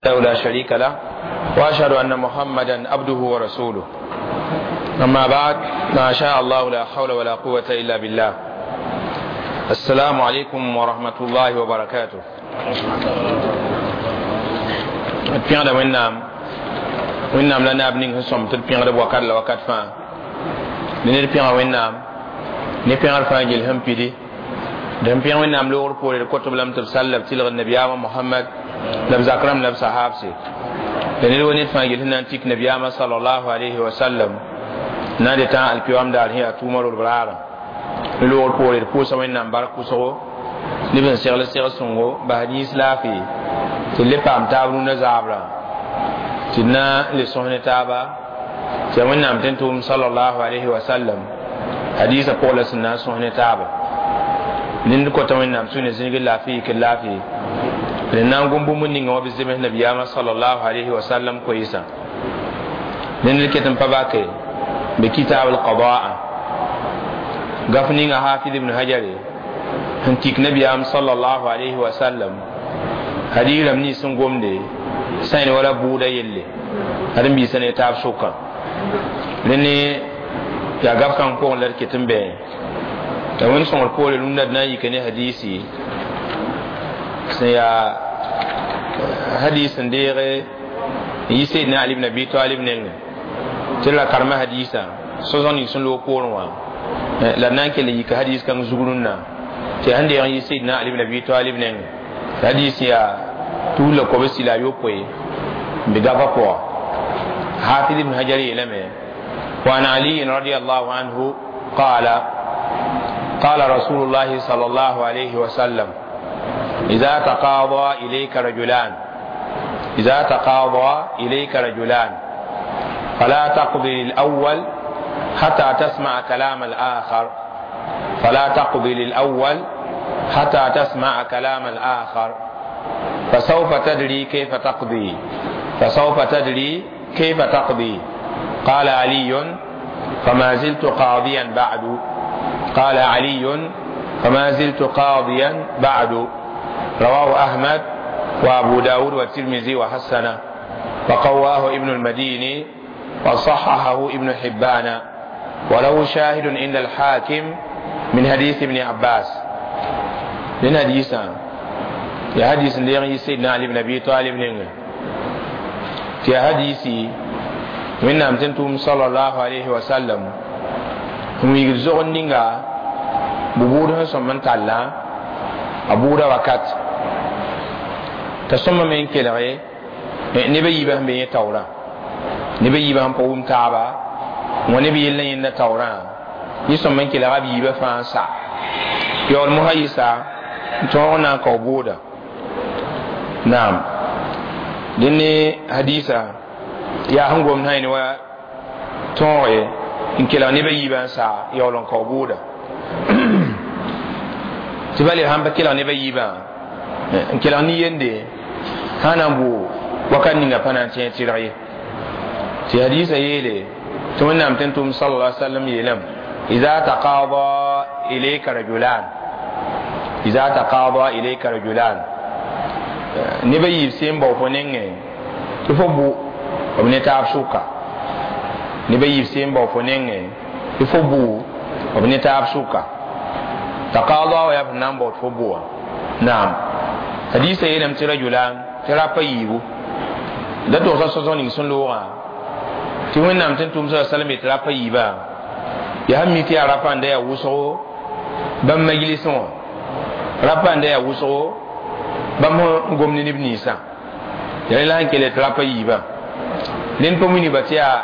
لا شريك له واشهد ان محمدا عبده ورسوله. اما بعد، ما شاء الله لا حول ولا قوه الا بالله. السلام عليكم ورحمه الله وبركاته. D pẽgda Wẽnnaam, Wẽnnaam la naab ning sẽn sõm tɩ d pẽgd b wakat la wakat fãa. Dẽ ned pẽga Wẽnnaam ne pẽgr fãa gel sẽn pidi. D sẽn pẽg Wẽnnaam loogr poore, d kotb lame tɩ b sall la b tɩlgd nabiyaamã Mohamad la b zak rãmb la b sahaabse. La ned wa ned fãa gel sẽn na n tik nabiyaamã salallahu alayhi wa sallam na n dɩ tã alkiyoam daar sẽn yaa tʋʋmã rolb raarã. Ne loogr poore, d pʋʋsa Wẽnnaam bark pʋsgo neb sẽn segl seg sõngo bas yĩns laafɩ tɩ d le paam taab rũndã zaabrã tɩ d na n le sõs ne taaba tɩ yaa Wẽnnaam tẽn tʋʋm salallahu alayhi wa sallam hadiisã pʋgã la sẽn na n sõs ne taaba. Ned kota Wẽnnaam sũ ne zĩigr laafɩ yikr laafɩ d na n gom bũmb ninga wã b zems nabiyaamã salallahu alayhi wa sallam koeesã. Ned ket n pa bake be kitab alqadaa gaf ninga Hafid ibn Hajare sẽn tik nabiyaam salallahu alayhi wa sallam hadiis rãmb nins sẽn gomde sãyn wala bʋʋda yelle ad n biisa ne taab sʋka. Rẽne yaa gaf kãng pʋgẽ la d ket n bɩ la Wẽnd sõngr poore rũndã d na n yika ne hadiisi sẽn yaa hadis n deege n yi Seydna Ali ibn Abi Talib nengẽ tɩ la karema hadiisã so-zõg ning sẽn loog poorẽ wã la d na n kell n yika hadis kãng zug rũnnã tɩ yaa sẽn deeg n yi Seydna Ali ibn Abi Talib nengẽ. Hadis yaa 321 n be gafa pʋga. Hafiz ibn Hajar yeelame: وعن علي رضي الله عنه قال: قال رسول الله صلى الله عليه وسلم: إذا تقاضى إليك رجلان، إذا تقاضى إليك رجلان، فلا تقضي للأول حتى تسمع كلام الآخر، فلا تقضي للأول حتى تسمع كلام الآخر، فسوف تدري كيف تقضي، فسوف تدري كيف تقضي. قال علي: فما زلت قاضيا بعد. قال علي: فما زلت قاضيا بعد. رواه أحمد وأبو داود والترمذي وحسنه، وقواه ابن المديني وصححه ابن حبان، وله شاهد عند الحاكم من حديث ابن عباس. من حديث يا حديث اللي سيدنا علي بن أبي طالب في حديثي من نام تنتم صلى الله عليه وسلم هم يجزون نينغا ببوده سمن تالا a buuda wakat t'a sõma me n kelge neb a yiibã sẽn be yẽ taoorã, neb a yiibã sẽn pa wʋm taaba wã neb yell n yẽnda taoorã yẽ sõma n kelga b yiibã fãa n sa yaool mosã yɩsa n tõog n na n kao bʋʋda. Naam, dẽn ne hadiisa yaa sẽn gomd sã ne wa tõoge n kelg neb a yiibã n sa yaool n kao bʋʋda tɩ ba le sãn pa kelg neb a yiibã n kelg nin-yende sã na n bʋ wakat ninga pa na n tẽ tɩrg ye. Tɩ hadiisã yeele tɩ Wẽnnaam tẽn tʋʋm sala sallam yeelame: إذا تقاضى إليك رجلان، إذا تقاضى إليك رجلان, neb a yiib sẽn bao fo nengẽ tɩ fo bʋ b ne taab sʋka. Neb a yiib sẽn bao fo nengẽ tɩ fo bʋ b ne taab sʋka. Taqaada wa yaa b na n bao tɩ fo bʋa. Naam, hadiisã yeelame tɩ rajulan tɩ rapa yiibu da togsa sõsg ning sẽn loogã tɩ Wẽnnaam tẽn tʋʋm sa sallam yetɩ rapa yiibã yaa sẽn mi tɩ yaa rapa n da yaa wʋsgo bãmb majlisẽ wã, rapa n da yaa wʋsgo bãmb sẽn gom ne neb ninsã yaa rẽ la sẽn kell tɩ rapa yiibã rẽnd pa wilgba tɩ yaa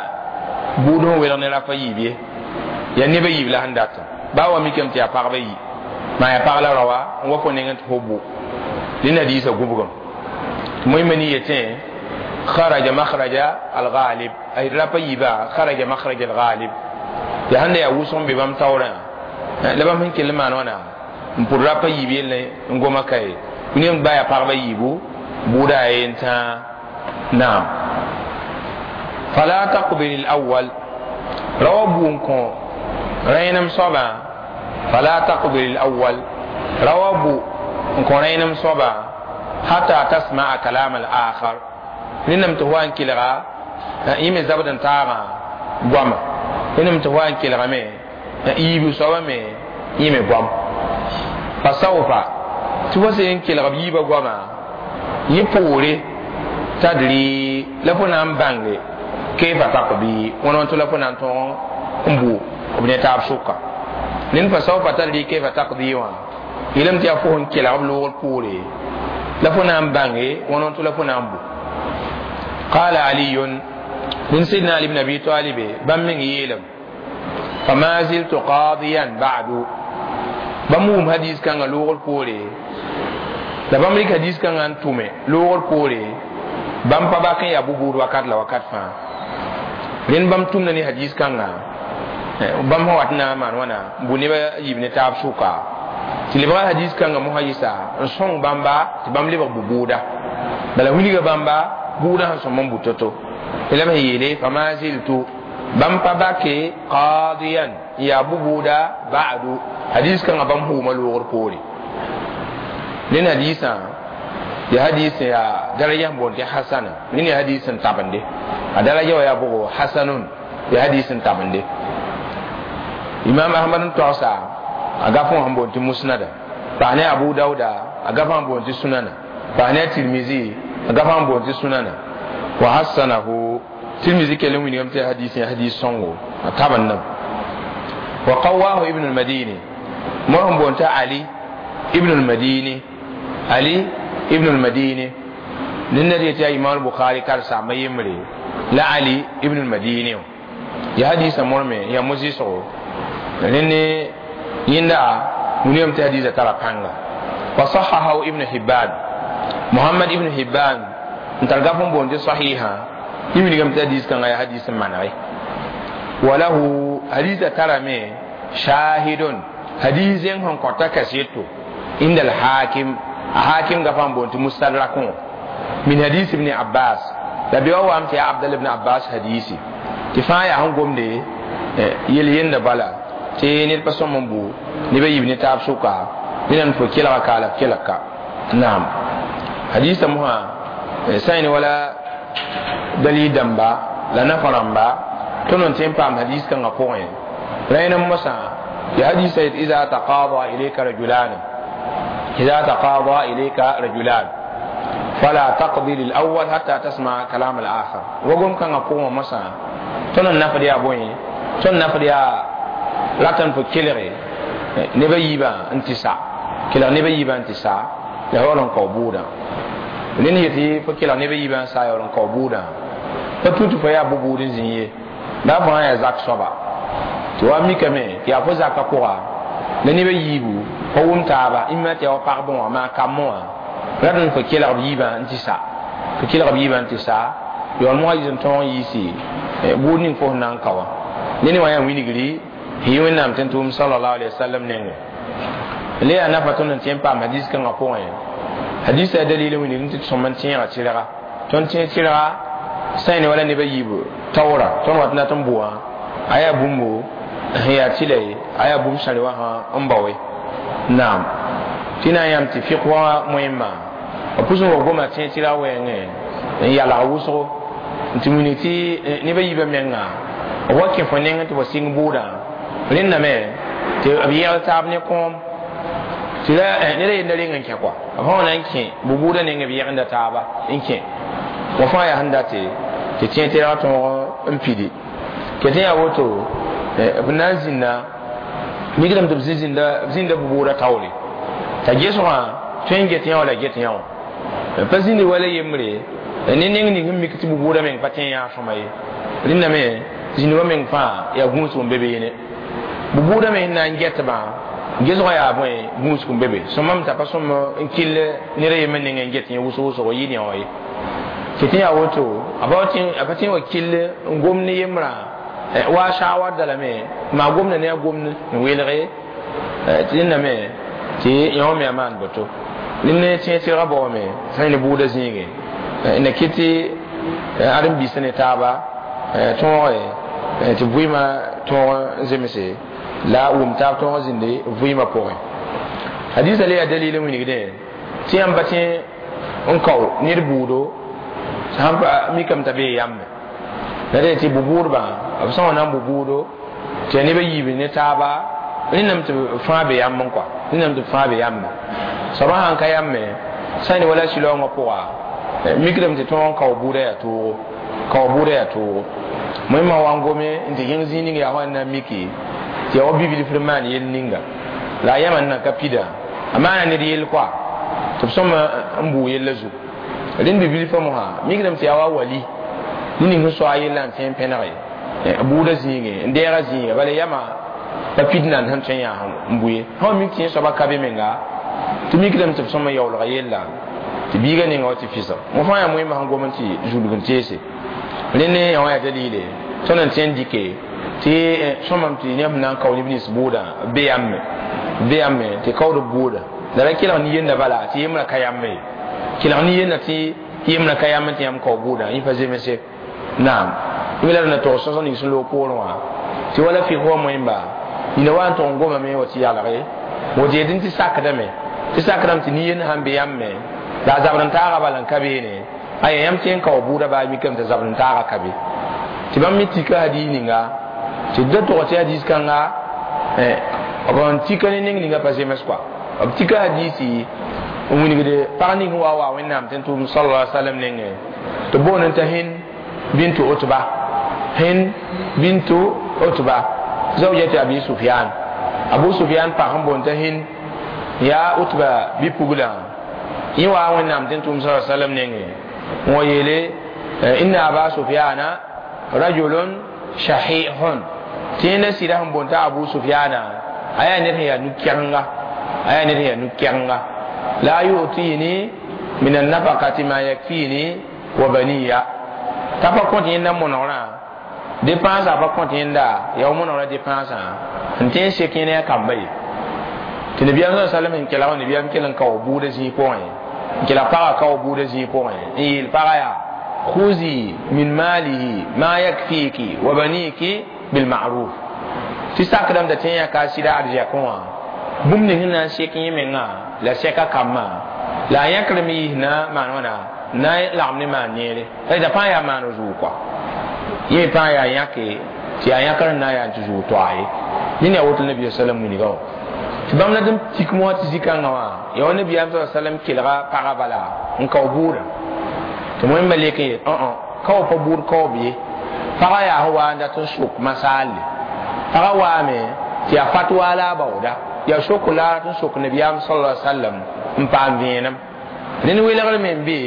bʋʋd sẽn welg ne rapa yiib ye, yaa neb a yiib la sẽn datã baa wa mikame tɩ yaa pagba yi maa yaa pag la raoa n wa fo nengẽ tɩ fo bʋ. Rẽnd hadiisã gũbgem tɩ moẽmã ni yetẽ خرج مخرج الغالب، أي rapa yiibã خرج مخرج الغالب yaa sẽn da yaa wʋsg n be bãmb taoorã la bãmb sẽn kell n maan wãna n pʋd rapa yiib yelle n goma kaye ne ba yaa pagba yiibu bʋʋda a yen tãa. Naam, فلا تقضي للأول rawa bʋ n kõ rẽenem soabã, فلا تقضي للأول rawa bʋ n kõ rẽenem soabã حتى تسمع كلام الآخر. Rẽndame tɩ wa n kelga yẽ me zabd n taagã goama. Rẽndame tɩ wa n kelgame yiibu soabã me yẽ me goam. Pa saufa tɩ fo sẽn n kelg b yiibã goamã yẽ poore tadri la fo na n bãnge kayfa taqdi wãna tɩ la fo na n tõog n bu b ne taab sʋka. Ned fa saufa tadri kayfa taqdi wã yeelame tɩ yaa fo sẽn kelg b loogr poore la fo na n bãnge wãna tɩ la fo na n bu. Qala aliyun min sidna ali ibn abi talib bãmb meng yeelame fama ziltu qadiyan ba'du. Bãmb wʋm hadis kãngã loogr poore la bãmb rɩk hadis kãngã n tʋme loogr poore bãmb pa bak n yaa bu-buud wakat la wakat fãa. Rẽnd bãmb tʋmda ne hadis kãngã bãmb sẽn wat n na n maan wãna n bʋ nebã yiib ne taab sʋka tɩ lebga hadis kãngã mosã yɩsa n sõng bãmba tɩ bãmb lebg bu-buuda. Bala wilga bãmba buudã sẽn sõm n bu to-to. La b sẽn yeele fama ziltu bãmb pa bake qadiyan n yaa bu-buuda ba'du hadis kãngã bãmb hʋʋma loogr poore. Rẽnd hadisã ya hadis ya daraja n boond tɩ hasana. Rẽnd ya hadis n tabende a daraja wa yaa bʋgo hasanun ya hadis n tabende. Imam Ahmad n togsa a gafẽ wã sẽn boond tɩ musnada, paas ne Abu Dauda a gafã n boond tɩ sunana, paas ne Tirmizi a gafã n boond tɩ sunana. Wa hassanahu Tirmizi kell n wilgame tɩ hadis ya hadis sõngo a tabendame. Wa qawahu Ibn al-Madini mo sẽn boond tɩ Ali Ibn al-Madini, Ali Ibn al-Madini ned yetɩ yaa Imam Bukhari karsaambã yembre la Ali Ibn al-Madini ya hadisã morme ya mo-zɩsgo rẽnd yẽnda wilgame tɩ hadisã tara pãnga. Wa sahahahu Ibn Hibban Muhammad Ibn Hibban n tar gaf n boond tɩ sahiha yẽ wilgame tɩ hadis kãngã yaa hadis n manege. Wa lahu hadisã tarame shahidun hadis zẽng sẽn kõta kaseto inda al-hakim a hakim gafã n boond tɩ mustadrak min hadis Ibn Abbas la be wa wam tɩ yaa Abdal ibn Abbas hadisi tɩ fãa yaa sẽn gomde yel yenda bala tɩ ned pa sõm n bu nebã yiib ne taab sʋka ned n fo kelga ka la kelg ka. Naam hadisã mosã sã n wala dalil dãmba la nafa rãmba tõnd n tẽ n paam hadis kãngã pʋgẽ rẽnd n mosã ya hadisã yet iza taqada ilayka rajulan iza taqada ilayka rajulan fala taqdi lil awwal hatta tasma kalam al akhar. Wagom kãngã pʋgẽ mosã tõnd n nafd yaa bõe tõnd nafd yaa ratan fo kelge nebã yiibã n tɩ sa kelg nebã yiibã n tɩ sa la yaool n kao buudã. Ned yetɩ fo kelg nebã yiibã n sa yaool n kao buudã pa tũ tɩ fo yaa bu-buud n zĩ ye la fo yaa zak soaba tɩ wa mikame tɩ yaa fo zakã pʋga la nebã yiibu fo wʋm taaba ĩmma tɩ yaa wa pagb wã maa kamb wã rat n fo kelg b yiibã n tɩ sa fo kelg b yiibã n tɩ sa yaool mosã yis n tõog n yiisi buud ning fo sẽn na n ka wã. Ned wã yaa wilgri sẽn yi Wẽnnaam tɩ n tʋʋm sallallahu alaihi wasallam nengẽ. Le yaa nafa tõnd n tẽ n paam hadis kãngã pʋgẽ. Hadisã yaa dalil n wilgd tɩ d sõm n tẽega tɩrga tõnd tẽeg tɩrga sã n ne wala nebã yiib taoora tõnd wat n dat n bʋ wã a yaa bũmbo sẽn yaa tɩla ye a yaa bũmb sãre wã sã n baoe. Naam tɩ na n yãmb tɩ fɩk wã moẽmã b pʋs n wa goma tẽeg tɩrga wɛɛngẽ n yalg wʋsgo n tɩ wilg tɩ nebã yiibã menga b wa kẽ fo nengẽ tɩ fo sɩng bʋʋdã rẽndame tɩ b yɛgl taab ne kõom tɩ la ned a yenda reng n kẽ kɔa b sã wa na n kẽ bu-buudã nengẽ b yɛgenda taaba n kẽ wa fãa yaa sẽn date tɩ tẽeg tɩrg tõog n pidi ket n yaa woto b na n zĩnda mikdame tɩ b zĩnda bu-buudã taoore t'a gesgã tõe n get yã wala get yã wã pa zĩndi wala yembre ne neng ning sẽn mik tɩ bu-buudã meng pa tẽ yã sõma ye rẽndame zĩndbã meng fãa yaa gũusg n be beene bu-buudã me sẽn na n getbã gesgã yaa bõe gũusg n be be sõmame t'a pa sõm n kell ned a yembr nengẽ n get yẽ wʋsg wʋsgo yɩ ne wã ye tɩ tɩ yaa woto a pa tẽ wa kell n gom ne yembrã wa shawar da lame maa gomda ne a gomd n welge tɩ rẽndame tɩ yõ me a maan boto rẽnd ne tẽeg tɩrgã baoome sã ne buudã zĩigẽ na kɩ tɩ ãdem-biisã ne taaba tõoge tɩ vɩɩmã tõog n zemse la wʋm taab tõog n zĩnde vɩɩmã pʋgẽ. Hadisã le yaa dalil n wilgdẽ tɩ yãmb pa tẽ n kao ned buudo Sãn pa mikame t'a bee yãmbe la dee tɩ bu-buudbã b sã n na n bu-buudo tɩ yaa neb a yiib ne taaba rẽndame tɩ b fãa be yãmb n kɔa rẽndame tɩ b fãa be yãmbe soabã sãn ka yãmbe sã n wala sɩlaoongã pʋga mikdame tɩ tõog n kao buudã yaa toogo kao buudã yaa toogo wẽnnaam wa n gome n tɩ yẽng zĩig ning yaa wa n na n miki tɩ yaa wa bibilfr n maan yell ninga la a yãma n nan ka pida a maana ned yell kɔa tɩ b sõma n buu yella zugu rẽnd bibilfã mosã mikdame tɩ yaa wa wali ne ning sẽn soa yella n tõe n pẽnege buudã zĩige n deega zĩiga bala yãma pa pid nan sẽn tõe n yaa n bʋ ye sã mik tɩ yẽ soaba ka be menga tɩ mikdame tɩ b sõma yaoolga yella tɩ biiga ninga wa tɩ fɩsg mo fãa yaa wẽnnaam sẽn gom n tɩ zulg n teese rẽnd ne yã wã yaa dalile tõnd n tõe n dɩke tɩ sõmam tɩ yãmb na n kao neb nins buudã be yãmbe be yãmbe tɩ kaood b buuda la ra kelg nin-yenda bala tɩ yembrã ka yãmbe ye kelg nin-yenda tɩ yembrã ka yãmb tɩ yãmb kao buudã yẽ pa zemse naam yẽ la d na tog sõsg ning sẽn loog poorẽ wã tɩ wala fɩk wa moẽmba nina wa n tʋg n gomame wa tɩ yalge woto yetɩ tɩ sakdame tɩ sakdame tɩ nin-yend sãn be yãmb me la a zabd n taaga bala n ka beene aya yãmb tõe n kao buudã baa mikame tɩ zabd n taaga ka be tɩ bãmb me tika hadiis ninga tɩ da tʋg tɩ hadiis kãnga b n tika ne neng ninga pa zems kɔa b tika hadiisi n wilgde pag ning wa wa wẽnnaam tɩ n tʋʋm sallallahu alaihi wasallam nengẽ tɩ boond n t'a Hind bintu Utba Hind bintu Utba zawjati Abi Sufyan Abu Sufyan pag n boond t'a Hind yaa Utba bi-puglã yẽ wa wẽnnaam tɩ n tʋʋm sallallahu alaihi wasallam nengẽ n wa yeele inna Aba Sufyana rajulun shahihun tɩ yẽnda sɩda sẽn boond t'a Abu Sufyana a yaa ned sẽn yaa nu-kɛgenga a yaa ned sẽn yaa nu-kɛgenga la yu'tini min an-nafaqati ma yakfini wa baniya t'a pa kõt yẽnda monegrã dépense a pa kõt yẽnda yaa wa monegrã dépensã n tõe n sek yẽna yaa kamba ye tɩ nabiyaam sa sallam n kelg nabiyaam kell n kao buudã zĩig pʋgẽ n kelg pagã kao buudã zĩig pʋgẽ n yeel pagã yaa khuzi min malihi ma yakfiki wa baniki bilma'ruf tɩ sakdame t'a tõe n yãka a sɩda arzɛkẽ wã bũmb ning sẽn na n sek yẽ mengã la sɛka kambã la a yãkr me yiis na maan wãna na n lagem ne maan neere la pãa yaa maan zʋʋg kɔa yẽ pãa yaa yãke tɩ yaa yãkr n na n yaa tɩ zʋʋg toa ye ned yaa woto nabiya salam wilga wã tɩ bãmb la d n tik mosã tɩ zĩ-kãngã wã yaa wa nabiyaam sa salam kelga pagã bala n kao buudã tɩ wẽmba lek n yet kao pa buud kaoob ye pagã yaa sẽn wa n dat n sok masaalle pagã waame tɩ yaa fatwa la a baooda yaa sok la tɩ n sok nabiyaam sallallahu alaihi wasallam n paam vẽenem rẽnd welgr me n be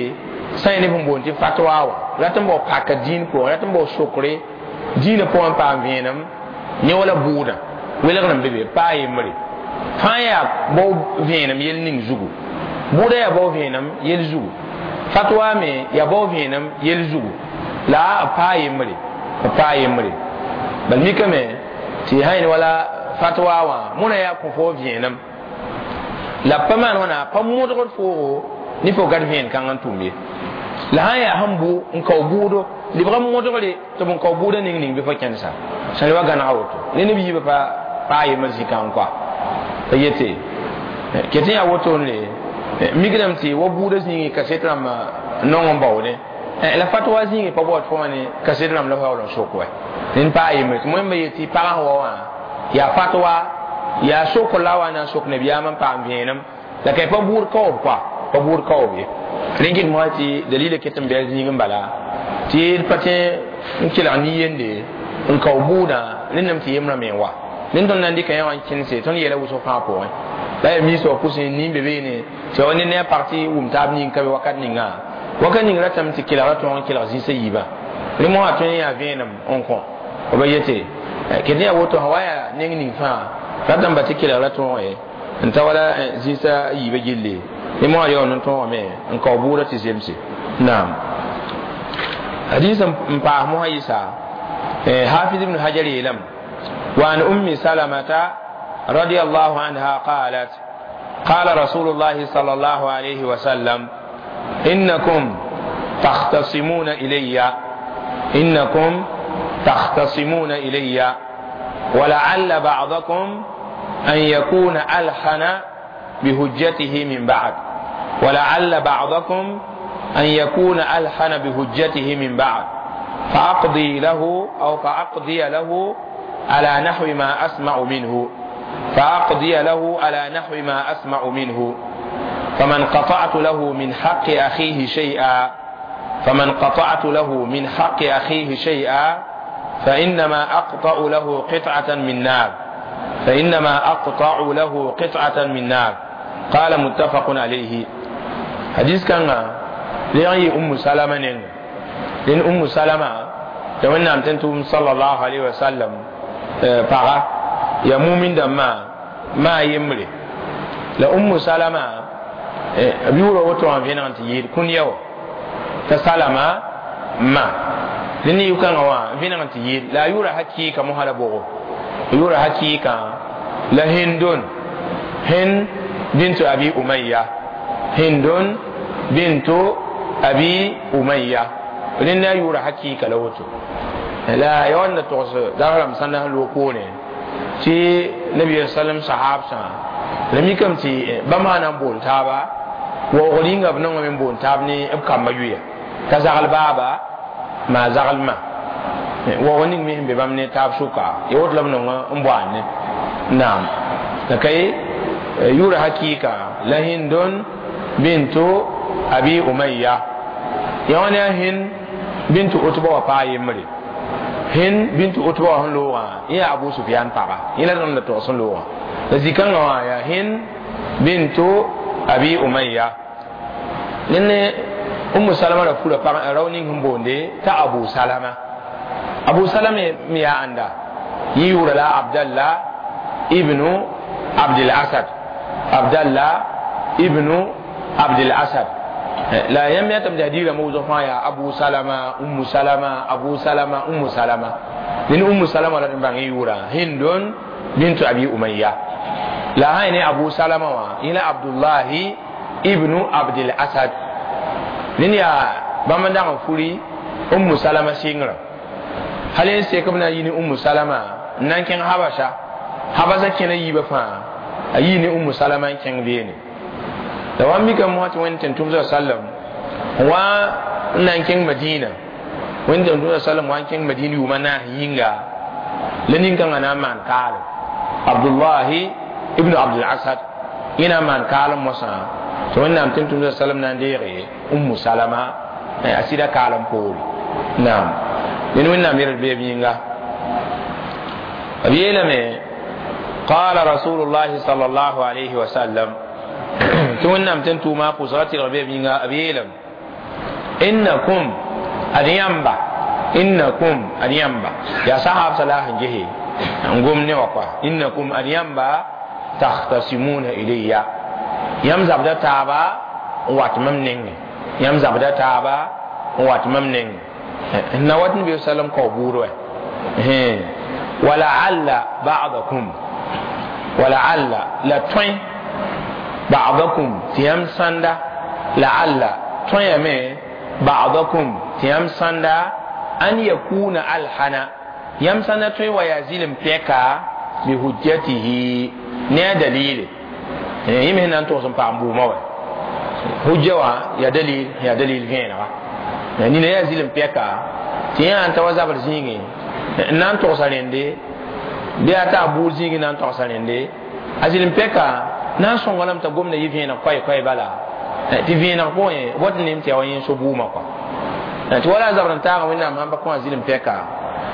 sã n neb sẽn boond tɩ fatwa wã rat n bao paka dĩin pʋgẽ rat n bao sokre dĩinã pʋgẽ n paam vẽenem ne wala buudã welgr n be be paa yembre fãa yaa bao vẽenem yel ning zugu buudã yaa bao vẽenem yel zugu fatwa me yaa bao vẽenem yel zugu la paa yembre paa yembre bal mikame tɩ sã yẽn wala fatwa wã mõna yaa kõ fo vẽenem la pa maan wãna pa modgd foogo ne fo gad vẽen kãng n tʋm ye la sã n yaa sẽn bʋ n kao buudo lebg n modgre tɩ b n kao buudã ning ning bɩ fo kẽnsa sã wa gãnega woto ne neb yiibã pa paa yembr zĩ-kãng kɔa pa yete ket n yaa wotone mikdame tɩ wa buudã zĩigẽ kaset rãmbã nong n baoode la fatwa zĩigẽ pa baood fo wã ne kaset rãmb la fo yaool n sok wɛ rẽnd paa yembre tɩ wẽmba yetɩ pagã sẽn wa wã yaa fatwa yaa sokr la wa na n sok nabiyaam n paam vẽenem la ka pa buud kaoob kɔa pa buud kaoob ye rẽn kɩt mosã tɩ dalila ket n bɩ a zĩig n bala tɩ d pa tõe n kelg nin-yende n kao buudã rẽndame tɩ yembrã me n wa rẽnd tõnd na n dɩka yã wã n kẽnse tõnd yeela wʋsg fãa pʋgẽ la yaa miisã wã pʋsẽ nin be beene tɩ wa ned ne a pag tɩ wʋm taab ning ka be wakat ninga wakat ning ratame tɩ kelgra tõog n kelg zĩisã yiibã rẽ mosã tõe n yaa vẽenem n kõ b yete ket yaa woto sã wa yaa neng ning fãa ratame ba tɩ kelgra tõog ye n ta wala zĩisã yiibã gilli rẽ mosã yaool n tõogame n kao buudã tɩ zemse naam hadis n paas mosã yɩsa hafiz ibn hajar yeelame وعن أم سلمة رضي الله عنها قالت قال رسول الله صلى الله عليه وسلم إنكم تختصمون إلي إنكم تختصمون إلي ولعل بعضكم أن يكون ألحن بهجته من بعد ولعل بعضكم أن يكون ألحن بهجته من بعد فأقضي له أو فأقضي له على نحو ما أسمع منه فأقضي له على نحو ما أسمع منه فمن قطعت له من حق أخيه شيئا فمن قطعت له من حق أخيه شيئا فإنما أقطع له قطعة من نار فإنما أقطع له قطعة من نار. قال متفق عليه. حديث كان لأي أم سلمة لأن أم سلمة تمنى أن تنتم صلى الله عليه وسلم فغا يا مؤمن دما ما يمري لا أم سلمة بيورو وتو أن فينا أنت كن يو تسلمة ما لأن يكان هو فينا أنت لا يورا حكي كمهلا بوغو يورا حكي كان لا هندون هند بنت أبي أمية هند بنت أبي أمية لأن يورا حكي كلوتو لا يوانا توس دارم سنة لوكوني تي نبي صلى الله عليه وسلم صحاب سان لم يكن تي بما نبون تابا وغلين أبنون من بون تابني أبكى مجوية تزغل بابا ما زغل ما وغلين مهم ببامني تاب شوكا يوت لبنون أمبواني نعم لكي يورا حقيقة لهند بنت أبي أمية يعني هند بنت أتبا وفاي مري هند بنت أتبا هن لوغا يا أبو سفيان بابا إلى أن توصل لوغا لذلك يا هند بنت أبي أمية لأن أم سلمة رفولة رونين هم بوندي تا أبو سلمة أبو سلمة ميا عنده يورا لا عبد الله ابن عبد الأسد عبد الله ابن عبد الأسد لا يم يتم تهديد موضوع يا أبو سلمة أم سلمة أبو سلمة أم سلمة لأن أم سلمة لا تنبغي يورا هند بنت أبي أمية لا هاي أبو سلمة إلى عبد الله ابن عبد الأسد لأن يا بمن فولي أم سلمة سينغرا هل ينسيكم يني أم سلمة نانكين حبشة حبشة كنا يبفا أيني أم سلمة كان بيني da wani mika mu hati wani tantum za sallam wa nan kin madina wani tantum za sallam wa kin madina yuma na yinga lenin kan ana man kal abdullahi ibnu abdul asad ina man kal musa to wannan tantum za sallam nan dere ummu salama asida kalam pori na'am len wannan mir be yinga abiyela me qala rasulullah sallallahu alaihi wasallam تونم تنتو ما قصرت الغبي بينا أبيلم إنكم أديامبا إنكم أديامبا يا صاحب صلاح جهي نقوم نوقع إنكم أديامبا تختصمون إلي يمزب دا تابا واتمم يمزب دا تابا واتمم نوات النبي صلى الله عليه وسلم قبوره ولعل بعضكم ولعل لا توين بعضكم تيام ساندا لعل تويمه بعضكم تيام ساندا أن يكون ألحنا يام ساندا توي ويزيل بيكا بحجته نيا دليل يمهن أن توصل بامبو ما حجة يا دليل يا دليل فين يعني نيا يزيل بيكا تيام أنت وزابر زيني نان توصل عندي بياتا بور زيني نان توصل عندي أزيل بيكا nan sõnga lame t'a gomda yɩ vẽeneg koɛ-koɛ bala tɩ vẽeneg pʋgẽ wat nem tɩ yaa wa yẽ so buumã kɔa tɩ wala a zabr n taaga wẽnnaam sãn pa kõ a zɩlem pɛka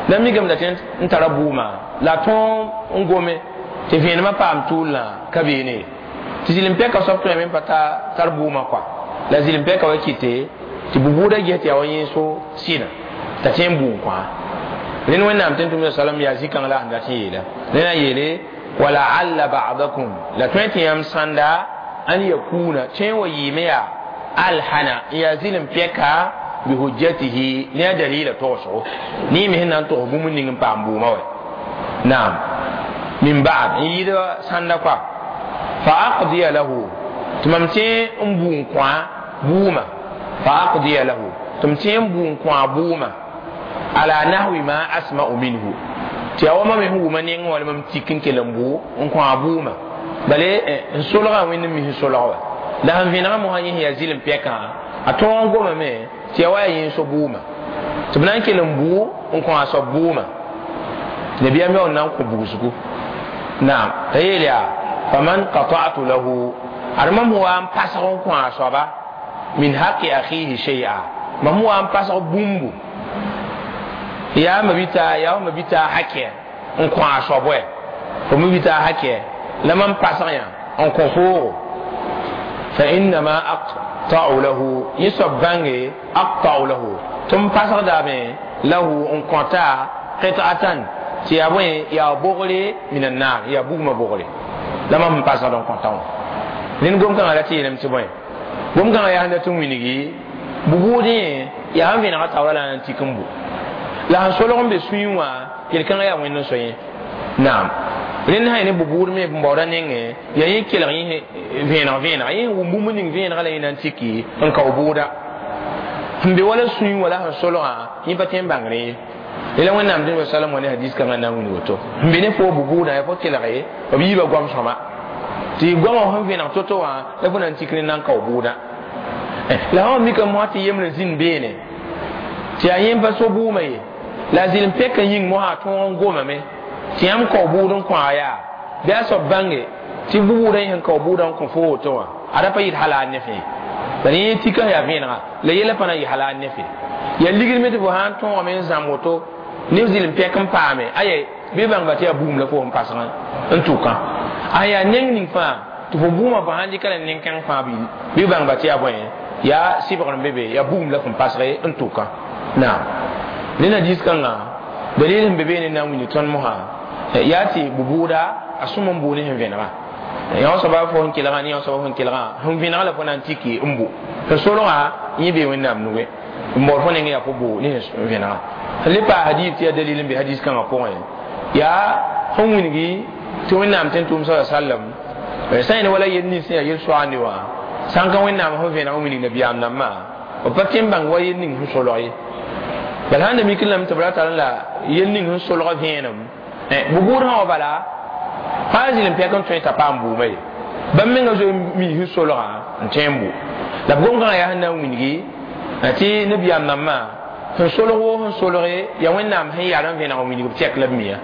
la mikame tɩ n tara buumã la tõog n gome tɩ vẽenemã paam tʋʋlã ka beene tɩ zɩlem pɛka soab tõe me n pa tar buumã kɔa la zɩlem pɛka wa kɩte tɩ bubuudã ges tɩ yaa wa yẽ so sɩnã t'a tẽ n buum kõa rẽnd wẽnnaam tɩ n tʋmd salam yaa zĩ-kãng la sẽn dat n yeela rẽna yeele ولعل بعضكم لا تنتي يم ساندا أن يكون تين ويميا ألحنا يزيل بيكا بحجته لا دليل توسو ني مهنا تو بوم نين بامبو ما نعم من بعد يدا ساندا كوا فأقضي له تمامتين أمبون كوا بوما فأقضي له تمتين بون كوا بوما على نحو ما أسمع منه tɩ yaa wa mam sẽn wʋma neng wã la mam tik n kell n bʋ n kõ a buumã bale n solgã wẽnd n mis n solg wa la sẽn vẽnegã mosã yẽ sẽn yaa zɩlem pɛkã A tõog n gomame tɩ ya wa yaa yẽ so bʋʋmã tɩ b na n kell n bʋʋ n kõ a soab bʋʋmã nabiyaam yaool na n kõ bugsgu naam t'a yeel yaa faman qata'tu lahu ad mam wa n pasg n kõ a soaba min haqi akhihi shay'a mam wa n pasg bũmbu yaa ma bita yaa ma bita hakɛ n kõ a soab wɛ fo me bita hakɛ la mam pasg yã n kõ foogo fa innama aqta'u lahu yẽ soab bãnge aqta'u lahu tɩ m pasgdame lahu n kõta qit'atan tɩ yaa bõe yaa bogre min annar yaa bugmã bogre la mam n pasgd n kõta wã rẽnd gom-kãngã ra tɩ yeelame tɩ bõe gom-kãngã yaa sẽn dat n wilgi bʋ-bʋʋdẽ yaa sẽn vẽnega taoora la n tik n bu la sẽn solg n be sũyẽ wã yel-kãngã yaa wẽnd n so yẽ naam rẽnd sã ne bʋ-bʋʋd me n baooda nengẽ yaa yẽ kelg yẽ vẽeneg vẽenega yẽ wʋm bũmb ning vẽenega la yẽ na n tiki n kao bʋʋda sẽn be wala sũyẽ wala sẽn solgã yẽ pa tõe n bãngre ye la wẽnnaam dĩn wasalam wa ne hadis kãngã na n wilg woto sẽn be ne fo bʋ-bʋʋdã yaa fo kelge b yiibã goam sõma tɩ goamã sẽn vẽneg to-to wã la fo na n tik ne na n kao bʋʋda la sã mikame mosã tɩ yembre zĩnd beene tɩ yaa yẽ pa so bʋʋmã ye la a zɩl n pɛk n yĩng mosã a tõog n gomame tɩ yãmb kao bʋʋd n kõ a yaa bɩ a soab bãnge tɩ bʋ-bʋʋdã yẽ sẽn kao bʋʋdã n kõ fo woto wã ada pa yɩɩd halaal ne fẽe la yẽ tika yaa vẽenega la yɛla pa na n yɩ halaal ne fẽe yaa ligd me tɩ fo sã n tõogame n zãm woto ne zɩl n pɛk n paame aya bɩ bãngba tɩ yaa bugum la fo sẽn pasg n tʋkã a yaa neng ning fãa tɩ fo bʋʋmã fo sãn dɩka la nen-kãng fãa bɩ bãngba tɩ yaa bõe yaa sɩbgr n be be yaa bugum la fõn pasge n tʋkã naam rẽnd hadis kãngã dalil sẽn be beene na n wilg tõnd mosã yaa tɩ bʋ-bʋʋda a sõm n bʋ ne sẽn vẽnega yã soaba fo sẽn kelgã ne yã soaba sẽn kelgã sẽn vẽnega la fo na n tiki n bʋ sẽn solgã yẽ bee wẽnnaam nuge n baood fo nengẽ yaa fo bʋ ne sẽn vẽnega sẽn le paa hadis tɩ yaa dalil n be hadis kãngã pʋgẽ yaa sẽn wilgi tɩ wẽnnaam tɩ n tʋʋm sa sallam sã yẽn wala yel nins sẽn yaa yel-soaande wã sãn ka wẽnnaam sẽn vẽneg n wilg nabiyaam nambã b pa tõe n bãng wa yel ning sẽn solg ye bala sãn da mik lame tɩ b ra tar la yel ning sẽn solg vẽenem bʋ-bʋʋd sã wa bala fãa zɩl n pɛk n tõe t'a paam bʋʋma ye bãmb menga zoe mi sẽn solgã n tõe n bʋ la b gom-kãngã yaa sẽn na n wilgi tɩ nabiyaam nambã sẽn solg woo sẽn solge yaa wẽnnaam sẽn yar n vẽneg n wilg b tɛk la b miya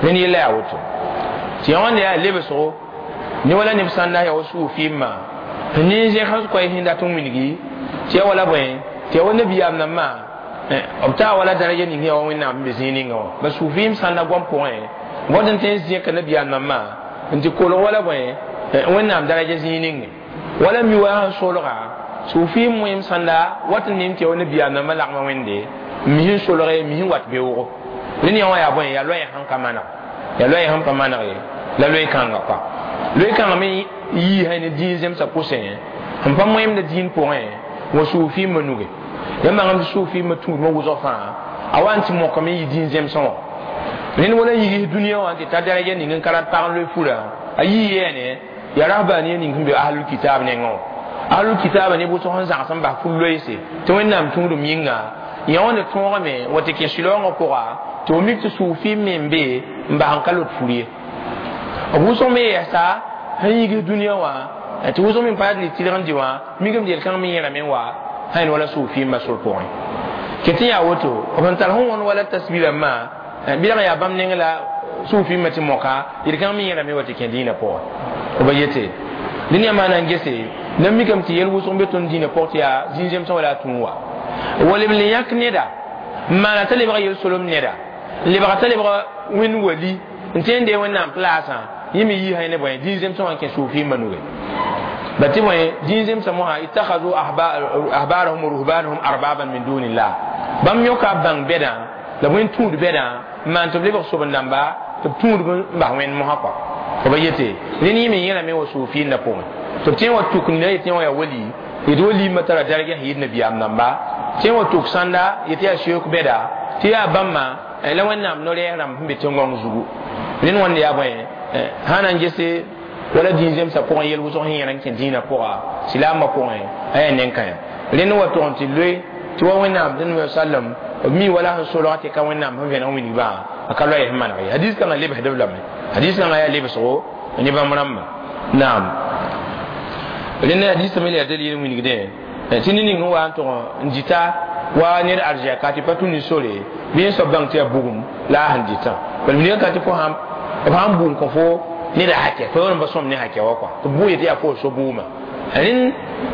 rẽnd yella yaa woto tɩ yã wãnda yaa lebsgo ne wala neb sãn na yaa wa suufɩɩmã sẽn ne n zẽg sẽn koɛɛ sẽn dat n wilgi tɩ yaa wala bõe tɩ yaa wa nabiyaam nambã b taa wala daraja ning yaa wa wẽnnaam n be zĩig ninga wã ba suufɩɩm sãn da goam pʋgẽ wat n tõe n zẽka nabiyaam nambã n tɩ kolg wala bõe wẽnnaam daraja zĩig ninge wala mi wa sẽn solga suufɩɩm wẽem sãnda wat n nem tɩ yaa wa nabiyaam nambã lagmã wẽnde n mis n solge mis n wat beoogo rẽnd yã wã yaa bõe yaa loɛɛ sẽn ka maneg yaa loɛɛ sẽn pa maneg ye la loe-kãnga kɔa loe-kãngã me yiisa ne dĩin zemsã pʋsẽ sẽn pa moẽmda dĩin pʋgẽ wa suufɩɩmã nuge yãmb bãngame tɩ suufɩɩmã tũudmã wʋsg fãa a wa n tɩ mokame n yɩ dĩin zemsẽ wã rẽnd wala yigis dũniyã wã n tɩ tar daraja ning n ka rat pag n loe fura a yii yɛɛne yaa rahbaniya ning sẽn be ahlul kitab nengẽ wã ahlul kitaabã ne wʋsg sẽn zãgs n bas fur-loeese tɩ wẽnnaam tũudum yĩnga yã wã ne tõogame wa tɩ kẽ sɩlaoongã pʋga tɩ f mik tɩ suufɩɩm me n be n bas n ka lot fur ye b wʋsg me yɛsa sẽn yigis dũniyã wã tɩ wʋsg me n pa yaa tɩlg n dɩ wã mikame tɩ yel-kãng me yẽrame n wa sã wala suufɩɩmbã sor pʋgẽ kɩ tɩ yaa woto b sẽn tar sẽn wõnd wala tasbi rãmbã bɩlg yaa bãmb neng la suufɩɩmbã tɩ moka yel-kãng me yẽrame wa tɩ kẽ dĩinã pʋgẽ b yete dẽnd yaa maana n gese na mikame tɩ yel wʋsg n be tõnd dĩinã pʋg tɩ yaa zĩig-zemsẽ wala a tũu wa wala b le yãk neda n maana t'a lebga yel-solem neda n lebga t'a lebga wẽnd wali n tõe n dee wẽnnaam plaasã yẽ me yiisa ne bõe dĩin-zemsẽ wã n kẽ suufɩɩmbã nuge ba tɩ bõe dĩin-zemsã mosã ittakhadhu ahbarahum wa ruhbanahum arbaban min dunillah bãmb yõka b bãng bɛdã la b wẽn tũud bɛdã n maan tɩ b lebg soben-dãmba tɩ b tũud n bas wẽnd mosã kɔa b yete rẽnd yẽ me yẽlame wa suufɩɩndã pʋgẽ tɩ b tõe n wa tuk neda yetɩ wã yaa wali yetɩ waliimã tara darga sẽn yɩɩd nabiyaam namba tõe n wa tuk sãnda yetɩ yaa seook bɛda tɩ yaa bãmba la wẽnnaam no-rɛɛs rãmb sẽn be tẽn-gõng zugu rẽnd wãnd yaa bõe sã na n gese wala dĩin zemsã pʋgẽ yel wʋsg sẽn yẽr n kẽ dĩinã pʋga silaambã pʋgẽ a yaa nen-kãyã rẽnd wa tʋg n tɩ loe tɩ wa wẽnnaam tɩ sallam b mi wala sẽn solg tɩ ka wẽnnaam sẽn vẽneg wilgbã a ka loɛɛ sẽn maneg ye hadis kãngã lebsdb lame hadis kãngã yaa lebsgo ne bãmb rãmbã naam rẽnd hadis me la yaa dalil n wilgdẽ Tɩ ned ning wa n tʋg n dɩta wa ned arzɛka tɩ pa tũ ne sore bɩ yẽ soab bãng tɩ yaa bugum la a sẽn dɩtã bala minigã ka tɩ fo sãn bʋ n kõ fo ned a hakɛ fo yaool n pa sõm ne hakɛ wa kɔa tɩ bʋ yetɩ yaa fo so bʋʋmã rẽnd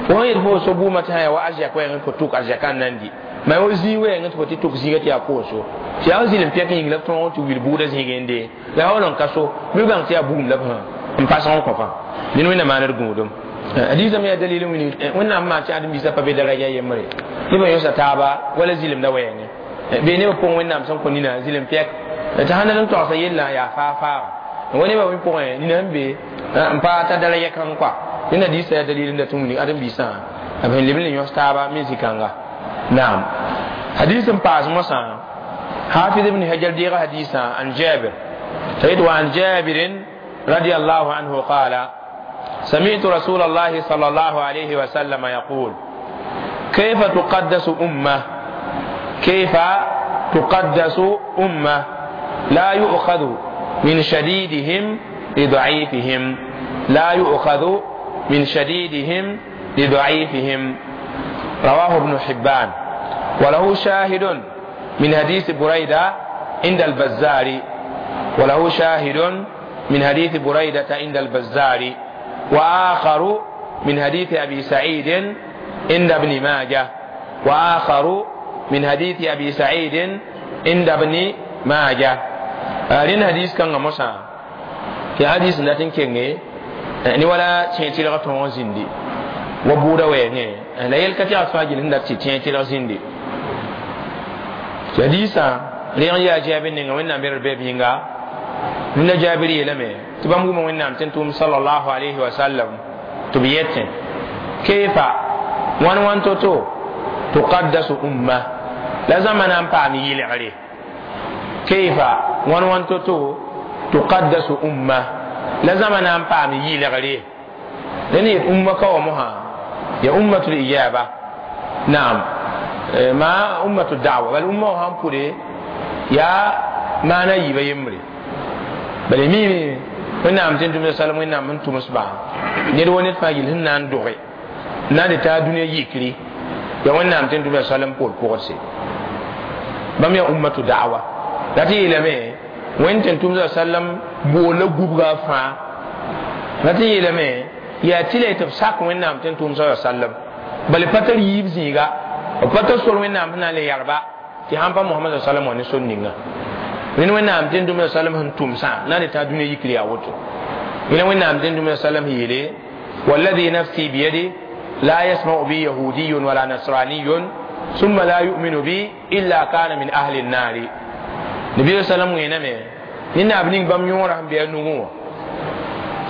fo sẽn yet fo so bʋʋmã tɩ sã yaa wa arzɛk wɛɛngẽ fo tʋk arzɛkã n na n dɩ ma wa zĩig wɛɛngẽ tɩ fo tɩ tʋk zĩiga tɩ yaa fo so tɩ yaa zɩlem pɛk yĩng la b tõog tɩ wil bʋʋda zĩigẽ n dee la yaool n ka so bɩ bãng tɩ yaa bugum la b n pasg n kõ fãa ned wẽnnaam maaned gũudum hadiisã me yaa dalil n wilg wẽnnaam maan tɩ ãdem-biisã pa be daraja yembre nebã yõsa taaba wala zɩlemda wɛɛngẽ bee nebã pʋgẽ wẽnnaam sẽn kõ nina zɩlem pɛk tɩ sãn dat n toagsa yellã yaa faa-faaga wa nebã wẽ pʋgẽ nina sẽn be n pa ta daraja kãng kɔa rẽnd hadiisã yaa dalil n dat n wilg ãdem-biisã b sẽn leb n le yõs taaba me zĩ-kãnga naam hadis n paas mosã hafiz ibn hajar deega hadisã an jabir t'a yet wa an jabirin radiallahu anhu qala سمعت رسول الله صلى الله عليه وسلم يقول كيف تقدس أمة كيف تقدس أمة لا يؤخذ من شديدهم لضعيفهم لا يؤخذ من شديدهم لضعيفهم رواه ابن حبان وله شاهد من حديث بريدة عند البزار وله شاهد من حديث بريدة عند البزار وآخر من حديث أبي سعيد عند ابن ماجه وآخر من حديث أبي سعيد عند ابن ماجه رين حديث كان موسى في حديث ناتن كينغي ni wala tẽe tɩlg tõog zĩndi wa buuda wɛɛngẽ la yel ka tɩ a fãa gil sẽn dat tɩ tẽe tɩlg zĩndi tɩ hadiisã rẽg n yaa jaabir ninga wẽnnaam berd bɛɛb yĩnga rẽnda jaabir yeelame tɩ bãmb wʋma wẽnnaam tɩ n tʋʋm sallallahu alayhi wa sallam tɩ b yetẽ keefa wãn wãn to-to tuqaddasu umma la zãma na n paam yɩlgre keifa wãn wãn to-to tuqaddasu umma la zãma na n paam yɩlgre rẽnd yet umma ka wa mosã ya ummatul ijaba naam ma ummatu da'wa bal umma wã sãn pʋde yaa maana yiibã yembre bala mime wẽnnaam tɩ n tʋmda salam wẽnnaam sẽn tʋms-bã ned wa ned fãa yel sẽn na n doge n na n dɩ t'a dũniyã yikri ya wẽnnaam tɩ n tʋmda salam poor pʋgdse bãmb yaa ummatu da'wa la tɩ yeelame wẽnd tɩ n tʋmda sallam boolla gubga fãa la tɩ yeelame yaa tɩ la tɩ b sak wẽnnaam tɩ n tʋm sa sallam bala pa tar yiib zĩiga b pa tar sor wẽnnaam sẽn na n le yagba tɩ sãn pa Mohamad sallam wã ne sor ninga rẽnd wẽnnaam tɩ n tʋmda sallam sẽn tʋmsã na n dɩ t'a dũniyã yikr yaa woto yẽla wẽnnaam tɩ n tʋmda sallam yeele والذي نفسي بيده لا يسمع بي يهودي ولا نصراني ثم لا يؤمن بي إلا كان من أهل النار نبي صلى الله عليه وسلم nina b ning bãmb yõora sẽn be a nugẽ wã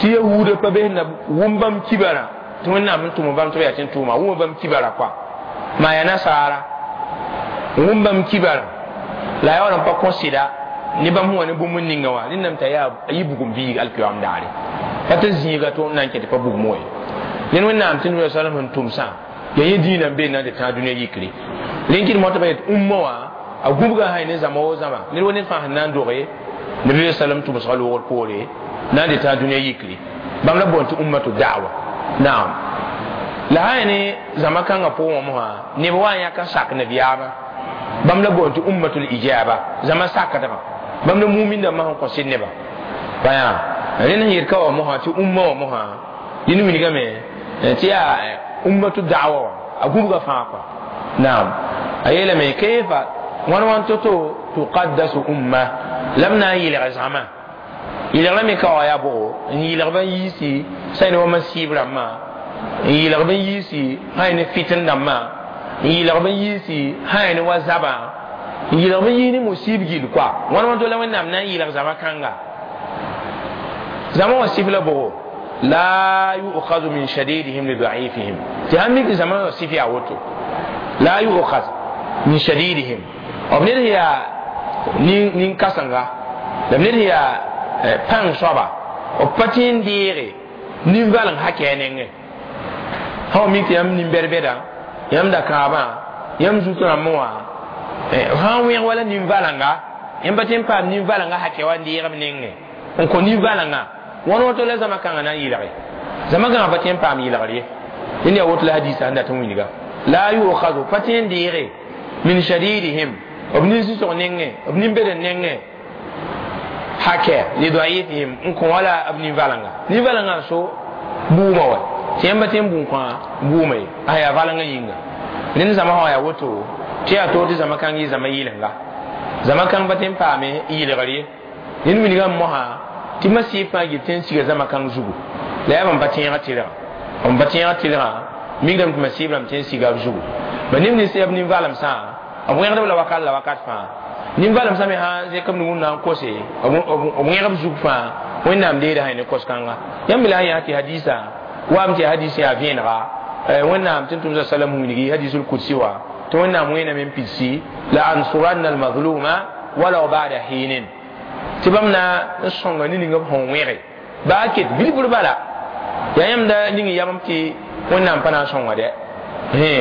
tɩ yahuudã pa bes na wʋm bãmb kibara tɩ wẽnnaam n tʋm bãmb tɩ b yaa tɩ n tʋʋma wʋma bãmb kibara kɔa maa yaa nasaara wʋm bãmb kibara la a yaool n pa kõ sɩda ne bãmb sẽn wa ne bũmb n ninga wã rẽndame t'a yaa a yɩ bugum biig alkiyoam daare pa tɩ zĩiga tɩ na n kẽ tɩ pa bugum ye ned wẽnnaam tɩ nua salam sẽn tʋmsã yaa yẽ dĩinã n be na n tɩ tãag dũniyã yikre rẽn kɩd motã pa yet umma wã a gũbga sã ne zãma wo zãma ned wa ned fãa sẽn na n doge nabi sallam tʋmsga loogr poore na n dɩ tãag dũniyã yikre bãmb la boond tɩ ummatu da'wa naam la sã ne zãma kãngã pʋgẽ wã mosã neb wa n yãk n sak nabiyaamã bãmb la boond tɩ ummatul ijaba zãma sakdgã bãmb la mumin dãmbã sẽn kõ sɩd nebã bãyã rẽnd sẽn yet ka wa mosã tɩ umma wã mosã dĩn wilgame tɩ yaa ummatu da'wa wã a gũbga fãa kɔa naam a yeelame kayfa wãn wãn to-to tuqaddasu umma la b na n yɩlg zãma yɩlgrã me ka wa yaa bʋgo n yɩlg b n yiisi sã ne wa masiib rãmbã n yɩlg b n yiisi sã ne fitn dãmbã n yɩlg b n yiisi sã ne wa zabã n yɩlg b n yii ne musiib gill kɔa wãn wãn to la wẽnnaam na n yɩlg zãma kãnga zãma wã sif la bʋgo la yu'khadhu min shadidihim li da'ifihim tɩ sãn mik zãma wã sif yaa woto la yu'khadh min shadidihim b ned sẽn yaa nin-kãsenga la b ned sẽn yaa pãng soaba b pa tɩ n deege nin-valeng hakɛ a nengẽ sã wa mik tɩ yãmb nin-bɛd-bɛda yãmb da-kãabã yãmb zut rãmbẽ wã sã n wẽg wala nin-valenga yãmb pa tɩ n paam nin-valenga hakɛ wa n deeg b nengẽ n kõ nin-valenga wãn woto la zãma kãngã na n yɩlge zãma kãngã pa tɩ n paam yɩlgr ye dẽnd yaa woto la hadiisã sẽn dat n wilga La yu'khadhu patin dire min shadidihim obnin sisog nenge obnin bede nenge hake li da'ifihim n kõ wala b nin-valengã nin-valengã so buumã wa tɩ yãmba tɩ n bũn kõ buumã ye a yaa valengã yĩnga rẽnd zãma sã yaa woto tɩ yaa toor tɩ zãma kãng yɩ zãma yɩlenga zãma kãng pa tɩ n paame yɩlgr ye ned wilgã mosã tɩ masɩɩb fãa gil tɩ n siga zãma kãng zugu la yaa bãmb pa tẽegã tɩlgã b pa tẽegã tɩlgã mikdame tɩ masɩɩb rãmb tɩ n siga b zugu ba neb nins yaa b nin-valemsã b wẽgdb la wakat la wakat fãa nin-valemsã me sã zẽk b wũnna n kose b wẽgb zug fãa wẽnnaam deeda sã ne kos-kãnga yãmb la sã yaa tɩ hadisa waam tɩ hadis yaa vẽenega wẽnnaam tɩ n tʋmsa salam wilgi hadisul kudsi wa tɩ wẽnnaam wẽename n pidsi la ansuranna almazluma walaw bada hinin tɩ bãmb na n sõnga ne ninga b sẽn wẽge baa ket bilfr bala yaa yãmb da ning yamb tɩ wẽnnaam pa na n sõnga dɛ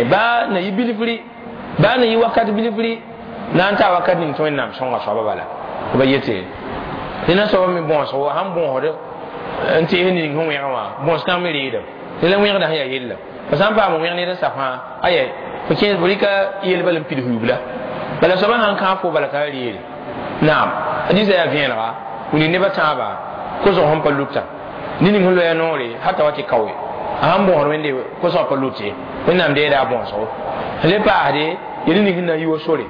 baa na yɩ bilfri baa na yɩ wakat bilfri na n taa wakat ning tɩ wẽnnaam sõnga soaba bala b yete tɩ na soaba me bõosgo sãn bõosd n tees ning sẽn wẽgã wã bõos-kãng me reedame tɩ la wẽgda sẽn yaa yella fo sã n paam wẽg ned n sa fãa aya fo kẽes fo rɩka yelba n pids yubla bala soaba sãn kãag fo bala t'a reere naam hadisa yaa vẽenega wilg nebã tãabã kosg sẽn pa luta ne ning sẽn loya noore hata wa tɩ kaoe a sãn bõosd wẽnde kosg pa lut ye wẽnnaam deeda a bõosgo le paasde yel ning sẽn na n yi wa sore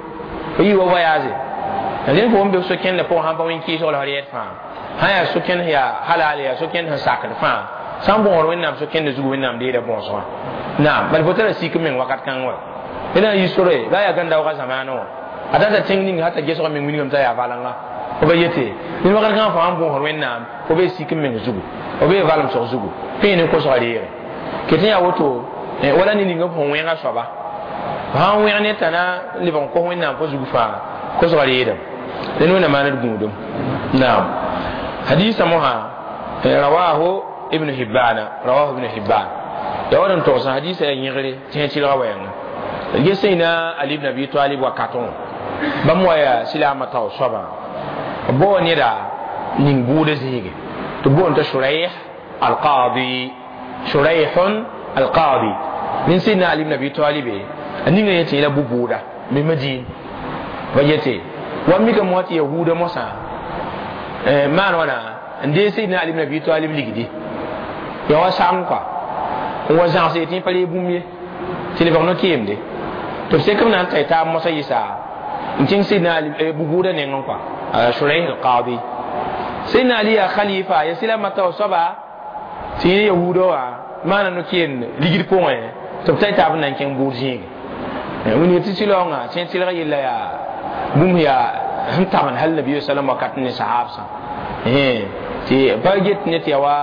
fo yi wa voyage rẽnd fo n be so-kẽndã pʋgẽ sãn pa wẽn-kɩɩsg la f rɛɛd fãa sã yaa so-kẽnd yaa halal yaa so-kẽnd sẽn sakd fãa sã n bõosd wẽnnaam so-kẽndã zugu wẽnnaam deeda bõosgã naam bala fo tara sik meng wakat kãng wa d na n yi sore baa yaa gãn-daoogã zamaanã wã a tata tẽng ning hata gesg meng wilgame t'a yaa valengã fo ba yete ned wakat kãngã fo sãn bõosd wẽnnaam fo bee sik n meng zugu fo bee valemsg zugu pẽe ne kosga reege ket n yaa woto wala ne ninga b sẽn wẽega soaba sãn wẽg ne t'a na lebg n kos wẽnnaam fo zug fãa kosga reedame dẽn wẽnna maan d gũudum naam hadisa mosã rawahu ibn hibbana rawahu ibn hibban ya wad n togsã hadisa yaa yẽgre tɩ sẽ tɩlga wɛɛngã ges sẽna Ali ibn Abi Talib wakatõ bãmb wa yaa silaamã tao soabã b bao neda ning buudã zĩige tɩ boond t'a Shuraih al-Qadi Shuraihun al-Qadi nin sẽna Ali ibn Abi Talib a ninga yẽ tɩ yẽla bu-buuda me Madin ba yete wa mika mo tɩ yahuda mosã maan wãna n dee Sayyidina Ali ibn Abi Talib ligdi ya wa sagem kɔa n wa zãgs yetɩ pa reeg bũmb ye tɩ lebg no-keemde tɩ b sek b na n tay taab mosã yɩsa n kẽng Sayyidina Ali bu-buudã nengẽ kɔa Shuraih al-Qadi Sayyidina Ali yaa khalifa ya sɩla tao soaba tɩ yẽ yahuda wã maana no-keemd ligd pʋgẽ tɩ b tay taab n na n kẽng buud zĩige wĩnga tɩ sɩlaoongã tɩ tɩlg yella yaa bũmb yaa sẽn tabend hal nabi sallam wakat ne sahabsã tɩ pa get ne tɩ yaa wa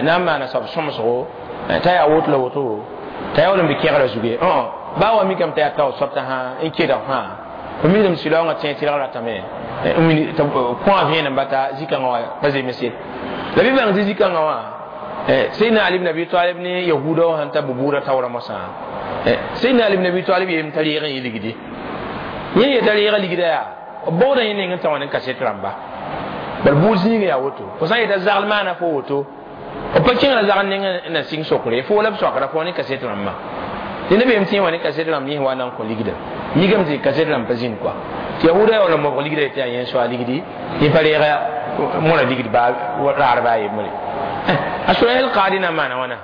na n maana soab sõmsgo t'a yaa woto la woto t'a yaa wall n be kẽgrã zugu ye baa wa mikame t'a yaa tao soab t'a sã n kedg fãa f mikdame sɩlaoongã tẽ tɩlg ratame kõ a vẽenem bata zĩ-kãngã wã pa zemse la bɩ bãng tɩ zĩ-kãngã wã Sayyidina Ali ibn Abi Talib ne yahuda wã sẽn ta bu-buudã taoorã mosã Sayyidina Ali ibn Abi Talib yeem t'a reeg n yɩ ligdi yẽ yeta reega ligda yaa b baooda yẽ neng n tã wã ne kaset rãmba bal buud zĩiga yaa woto fo sã n yeta zagl maana fo woto b pa kẽngra zagl neng n na sɩng sokre fo la b soakra fo ne kaset rãmbã tɩ nebam tẽ wã ne kaset rãmb yẽ wa na n kõ ligda mikame tɩ kaset rãmb pa zĩnd kɔa tɩ yahuda yaa wall n mobg ligda yetɩ yaa yẽ soa ligdi yẽ pa reega mõra ligd raar baa yembre a Shuraih al-Qadi na n maana wãna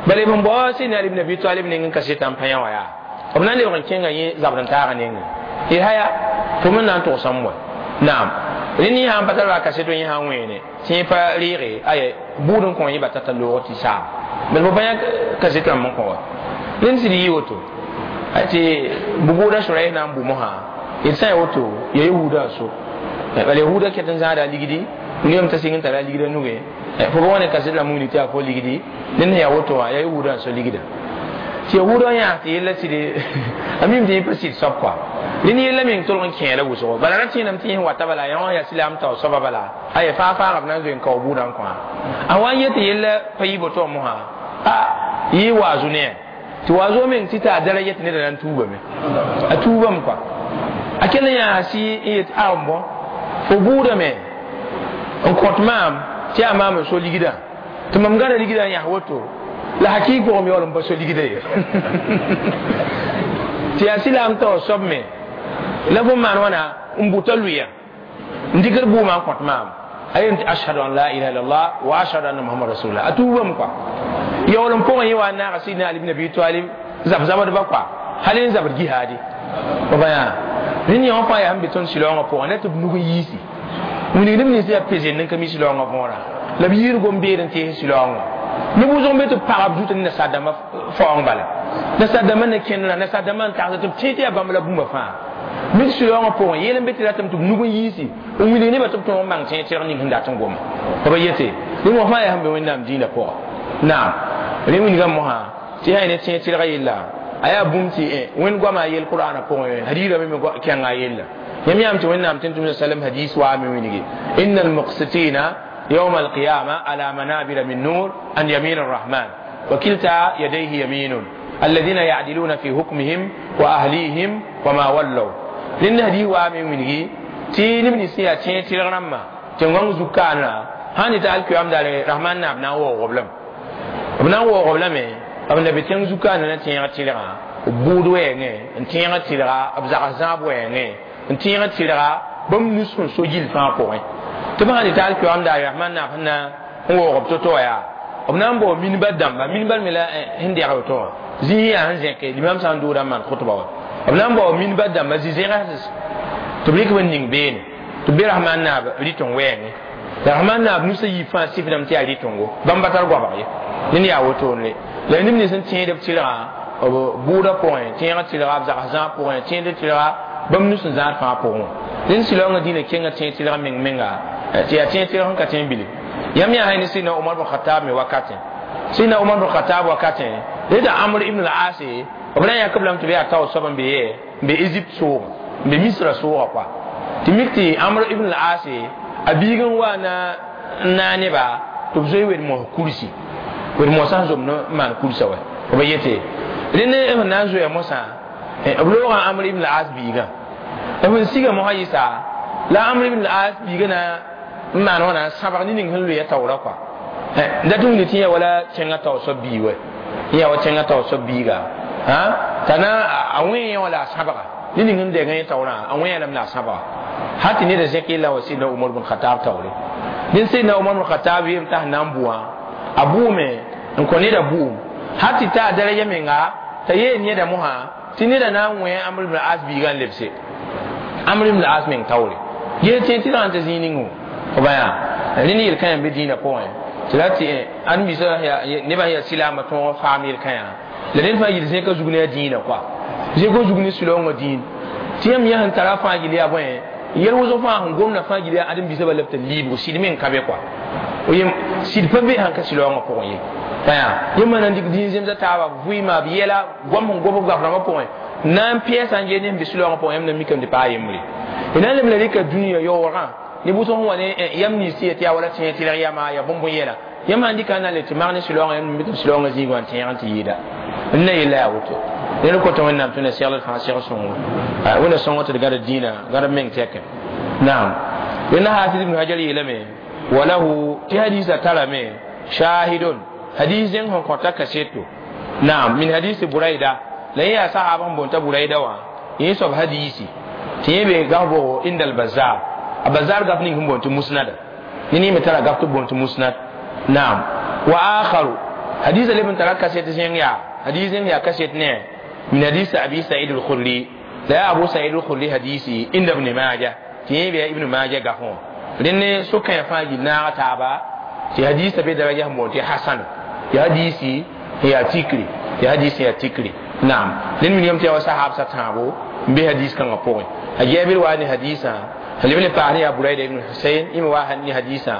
bala b sẽn bao Sayyidina Ali ibn Abi Talib neng n kasetã n pa yã wã yaa b na n lebg n kẽnga yẽ zabd n taagã nengẽ y haya fo me na n togsame wa naam rẽnd yẽ sã n pa tar kaseto yẽ sã n wẽene tɩ yẽ pa reege aya buud n kõ yẽ ba tata loog tɩ saam bala fo pa yã kaset rãmb n kõ wa rẽnd sɩd yɩ woto tɩ bu-buudã Shuraih na n bu mosã d sã n ya woto ya yahuda so bala yahuda ket n zãada ligdi wilgame t'a sɩng n tara ligda nuge fo ba wa ne kaset rãmb wilg tɩ yaa fo ligdi ned sẽn yaa woto wã yaa yahuda n so ligda tɩ yahuda yãas tɩ yella sɩd a mim tɩ yẽ pa sɩd soab kɔa rẽnd yella meng tolg n kẽela wʋsgo bala ra tẽename tɩ yẽ wata bala yã wã yaa silaam tao soaba bala aya faa faaga b na n zoe n kao buudã n kõ a wa n yet yella pa yɩ boto mosã a yɩ waazo ne tɩ waazo meng tɩ t'a daraja tɩ neda na n tuubame a tuubame kɔa a kell n yãas n yet a n bõ fo buudame n kõt maam tɩ yaa maam n so ligdã tɩ mam gãda ligdã n yãs woto La hakik pʋgẽ yaool n pa so ligda ye tɩ yaa silaam taoor soab me la fo maan wãna n bʋta lʋɩya n dɩkd bʋʋmã n kõt maam a yem tɩ ashhadu an la ilaha illallah wa ashhadu anna muhammad rasulullah a tuubame kɔa yaool n pʋgẽ yẽ wa n naaga sidna ali ibn abi talib zab zabdba kɔa hal n zabd jihaadi b ba yaa rẽnd yã wã fãa yaa sẽn be tõnd sɩlaoongã pʋgẽ la tɩ b nug n yiisi wilgd b nins yaa pesend n ka mi sɩlaoongã võora la b yiir gom-beed n tees sɩlaoongã ne wʋsg n be tɩ b pagb zut ne nasaar-dãmbã faoong bala nasaar-dãmbã ne kẽndrã nasaar-dãmbã n tagsd tɩ b tẽ tɩ yaa bãmb la bũmba fãa mik sɩlaoongã pʋgẽ yeel n be tɩ ratame tɩ b nug n yiisi n wilg nebã tɩ b tõog n bãng tẽeg tɩrg ning sẽn dat n goma b yete rẽ wã fãa yaa sẽn be wẽnnaam dĩinã pʋga naam rẽ wilgame mosã tɩ yaa ne tẽeg tɩrgã yella a yaa bũmb tɩ wẽnd goama a yel qur'ana pʋgẽ hadiirã me kẽnga a yella yãmb yãam tɩ wẽnnaam tɩ tʋmsa sallam hadis waame wilgi inna almuqsitina يوم القيامة على منابر من نور عن يمين الرحمن وكلتا يديه يمين الذين يعدلون في حكمهم وأهليهم وما ولوا لأن هذه وامي منه تي نبني سيا تي تي رما تنغون زكانا هاني تعال كيام دار الرحمن نابنا وغبلم بنا وغبلم أبنا بتين زكانا تي تي رما بود وين تي تي رما أبزار زاب وين تي تي رما بم نسون سجيل فان كوين tɩ b sã tɩ taal kɩ daare rahman naab sẽn na n waoog b to-to yaa b na n bao minba dãmba minba me la sẽn dɛg woto wã zĩig yaa sẽn zẽke limam sã n dʋʋda n maan khʋtba wã b na n bao minba dãmba zĩ-zẽgs tɩ b rɩk b n ning beene tɩ b be rahman naab rɩt n wɛɛngẽ la rahman naab nusa yiib fãa sifdame tɩ yaa rɩtengo bãmb pa tar goabg ye ned yaa wotone la neb nins n tẽed b tɩrgã b bʋʋda pʋgẽ tẽegã tɩrga b zags zãag pʋgẽ tẽed tɩrga bãmb nus n zãad fãa pʋgẽ wã rẽnd sɩlaoongã dĩinã kenga tẽeg tɩrg meng menga tɩ yaa tẽeg tɩrg sẽn ka tẽeg bili yãmb yaa ne sidna Umar bin Khattab me wakatẽ sidna Umar bin Khattab wakatẽ reta Amr ibn al-As b na n yãkb lame tɩ b yaa tao soab n be yɛ n be Egypte soogã n be Misra soogã kɔa tɩ mik tɩ Amr ibn al-As a biig n wa na n naa neba tɩ b zoe wed-mos kursi wed-mosã sẽn zomd n maan kursa wa b yete rẽnd b na n zoea mosã b loogã Amr ibn al-As biigã b sẽn siga mosã yɩsa la Amr ibn al-As biigã na n maan wãna sãbg ne ning sẽn loeya taoora kɔa dat n wilg tɩ yã wala tẽngã tao soab bii wɛ yã wa tẽngã tao soab biiga t'a na a wẽ yã wã la a sãbga ne ning sẽn dɛgã yẽ taoorã a wẽ lame la a sãbga hal tɩ neda zẽk yella wa sidna Umar bin Khattab taoore dẽn sidna Umar bin Khattab yem t'a sẽn na n bʋã a bʋʋme n kõ neda bʋʋm hal tɩ ta a daraja menga t'a yeel neda mosã tɩ neda na n wẽ Amr ibn al-As biigã n lebse Amr ibn al-As meng taoore gee tẽ tɩ rãn tɩ zĩig ningo b yaa rẽnd yel-kãyã n be dĩinã pʋgẽ tɩ ra tɩ ãdem-biisã nebã sẽn yaa silaamã tõog n faam yel-kãyã la ned fãa yel zẽka zug ne a dĩinã kɔa zẽk zug ne sɩlaoongã dĩin tɩ yãmb yã sẽn tara fãa gil yaa bõe yɛl wʋsg fãa sẽn gomdã fãa gil yaa ãdem-biisã bala b tɩ liibgo sɩd meng ka be kɔa yem sɩd pa be sãn ka sɩlaoongã pʋgẽ ye yaa yẽ maana n dɩk dĩin zemsa taaba vɩɩma b yɛla goam sẽn gom b goaf rãmbã pʋgẽ na n pɛɛsã n gee ne sẽn be sɩlaoongã pʋgẽ yãmb na mikame tɩ paa yembre y na n leb la rɩka dũniyã yaoogã ne bʋsg sẽn wa ne yam nins tɩ ya tɩ yaa wala tẽeg tɩrg yama ya bõmb yɛla yãmb sãn dɩka n na n le tɩ mag ne sɩlaoongã yãmb mikame sɩlaoongã zĩig wã n tẽeg n tɩ yɩɩda n na yella yaa woto ned kota wẽnnaam tɩ na segl fãa seg sõngo wẽnna sõngo tɩ d gãd dĩinã gãd meng tɛkẽ naam rẽnda hafiz ibn hajar yeelame walahu tɩ hadisa tarame shahidun hadis zẽng sẽn kõta kaseto naam min hadisi buraida la yẽ yaa sahaba sẽn boonta buraida wã yẽ soab hadisi tɩ yẽ be gaf bʋgo inda al-bazar a bazar gaf ning sẽn boon tɩ musnada ne ne me tara gaf tɩ boon tɩ musnad naam wa akharu hadisa leb n tara kaset zẽng yaa hadis zẽng yaa kaset ne min hadisi abi sa'id al-khudri la ya abu sa'id al-khudri hadisi inda ibn majah tɩ yẽ be ibn majah gafẽ wã rẽnd ne sʋkãyã fãa gil naaga taaba tɩ hadisa be daraja sẽn boon tɩ hasan ya hadisi ya tikri ya hadisi ya tikri naam rẽnd wilgame tɩ yaa wa sahab sa tãabo n be hadis kãngã pʋgẽ a jabir wa ne hadisã leb le paasd yaa buraida ibn husayn yẽ me wa ne hadisã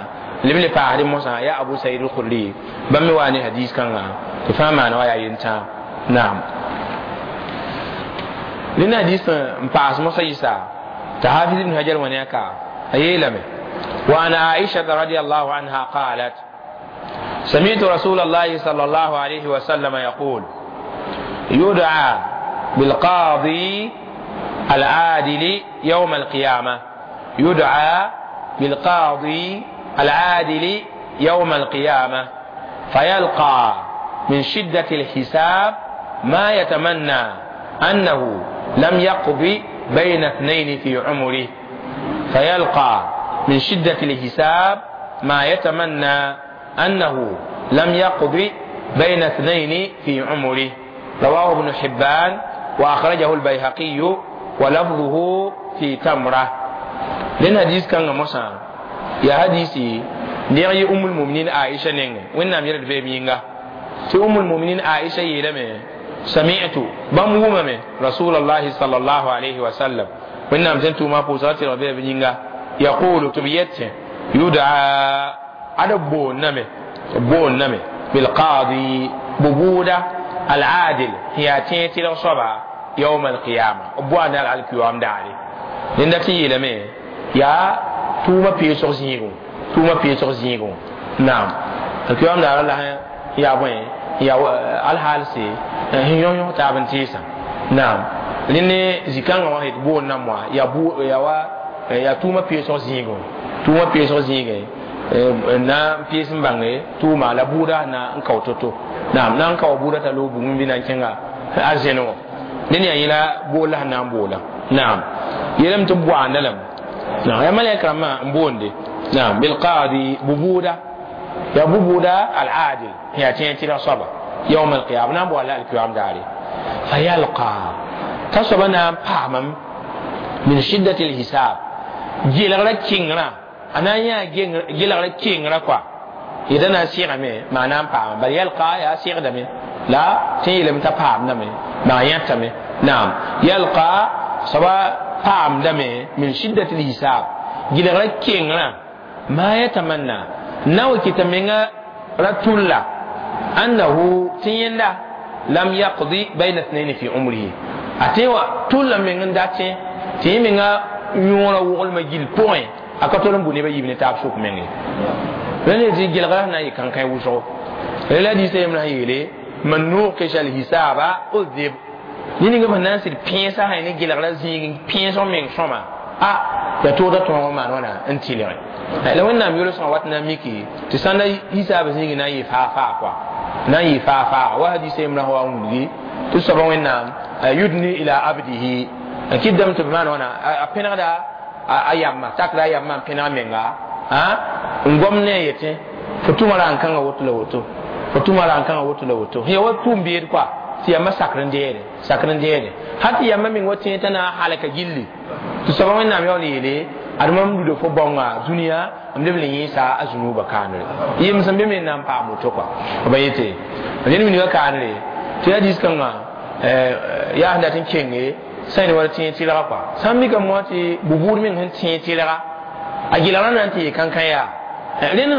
leb le paasd mosã yaa abu said al-khudri bãmb me wa ne hadis kãngã tɩ fãa maana wa yaa yentãag naam rẽnd hadis n paas mosã yɩsa tɩ hafiz ibn hajar wã ne a ka a yeelame وعن عائشة رضي الله عنها قالت سمعت رسول الله صلى الله عليه وسلم يقول يدعى بالقاضي العادل يوم القيامة يدعى بالقاضي العادل يوم القيامة فيلقى من شدة الحساب ما يتمنى أنه لم يقضي بين اثنين في عمره. فيلقى من شدة الحساب ما يتمنى أنه لم يقضي بين اثنين في عمره. رواه ابن حبان وأخرجه البيهقي ولفظه في تمرة. لأن حديث كان موسى يا حديثي نيغي أم المؤمنين عائشة نيغ وين نام يرد في مينغا في أم المؤمنين عائشة يلمي سمعت بمومم رسول الله صلى الله عليه وسلم وين نام سنتو ما بوساتي ربي بنينغا يقول تبيت يدعى أدبو نمي بو نمي بالقاضي ببودة العادل هي تيتي لصبا يوم القيامة بوانا على القيام داري لأن تي يلمي يا توما بيسوغ زيغو توما بيسوغ زيغو نعم القيام دار الله يا بوين يا الحال سي هيون يون تابن تيسا نعم لأن زكان واحد بو نموا يا بو يا وا يا توما بيسوغ زيغو توما بيسوغ زيغو na pies mbange tuma la buda na nkautoto naam na nkaw buda ta lo bugum bina kenga azeno neni ayila bola na bola naam yelam to bwa nalam na ya malaika ma mbonde naam bil qadi bubuda ya bubuda al adil ya tinti la saba يوم القيامة نعم ولا القيام داري فيلقى تصبنا pamam min shiddati al hisab jilra kingra ana ya gilra kingra kwa idan na siga me ma'ana pam bal yalqa ya siga da me la tilam ta pam na me ma yatta me na'am yalqa sawa pam da me min shiddati al hisab gilra kingra ma yatamanna naw kitamenga ratulla annahu tiyinda lam yaqdi bayna ithnayn fi umrihi atewa tulla men ndate timinga yõora woglmã gill pʋgẽ a ka tol n bʋ nebã yiib ne taab sʋk menge rẽnd tɩ gelgra na yɩ kãnkãe wʋsgo la hadisa yembrã sẽn yeele man nuqisha alhisaba udhib ned ninga sẽn na n sɩd pẽesã sã ne gelgra zĩig pẽesg meng sõma a ya toogda tõog n maan wãna n tɩlge la wẽnnaam yolsgã wat na n miki tɩ sãnda hisaab zĩig na n yɩ faa-faa kɔa na n yɩ faa-faa wa hadisa yembrã sã wa n wilgi tɩ soaba wẽnnaam yudni ila abdihi n kɩtdame tɩ b maan wãna a pẽnegda a yamma takra a yamma n pẽneg menga n gom ne a yetẽ fo tʋma ra n kãngã woto la woto fo tʋma ra n kãngã woto la woto ya wa tʋʋm beed kɔa tɩ yamba sakr n deede sakr n deede hal tɩ yamba meng wa tẽ t'a na n halka gilli tɩ soaba wẽnnaam yaool yeele ad mam luda fo bãonga dũniyã m leb le yẽesa a zũnuubã kaanre yem sẽn be me na n paam woto kɔa ba yete ned wilga kaanre tɩ hadis kãngã yaa sẽn dat n kenge sẽn wa tẽeg tɩlga kɔa sãn mikame wã tɩ bubuud meng sẽn tẽeg tɩlga a gɩlgrã na n tɩ yɩ kãnkã yaa rẽnd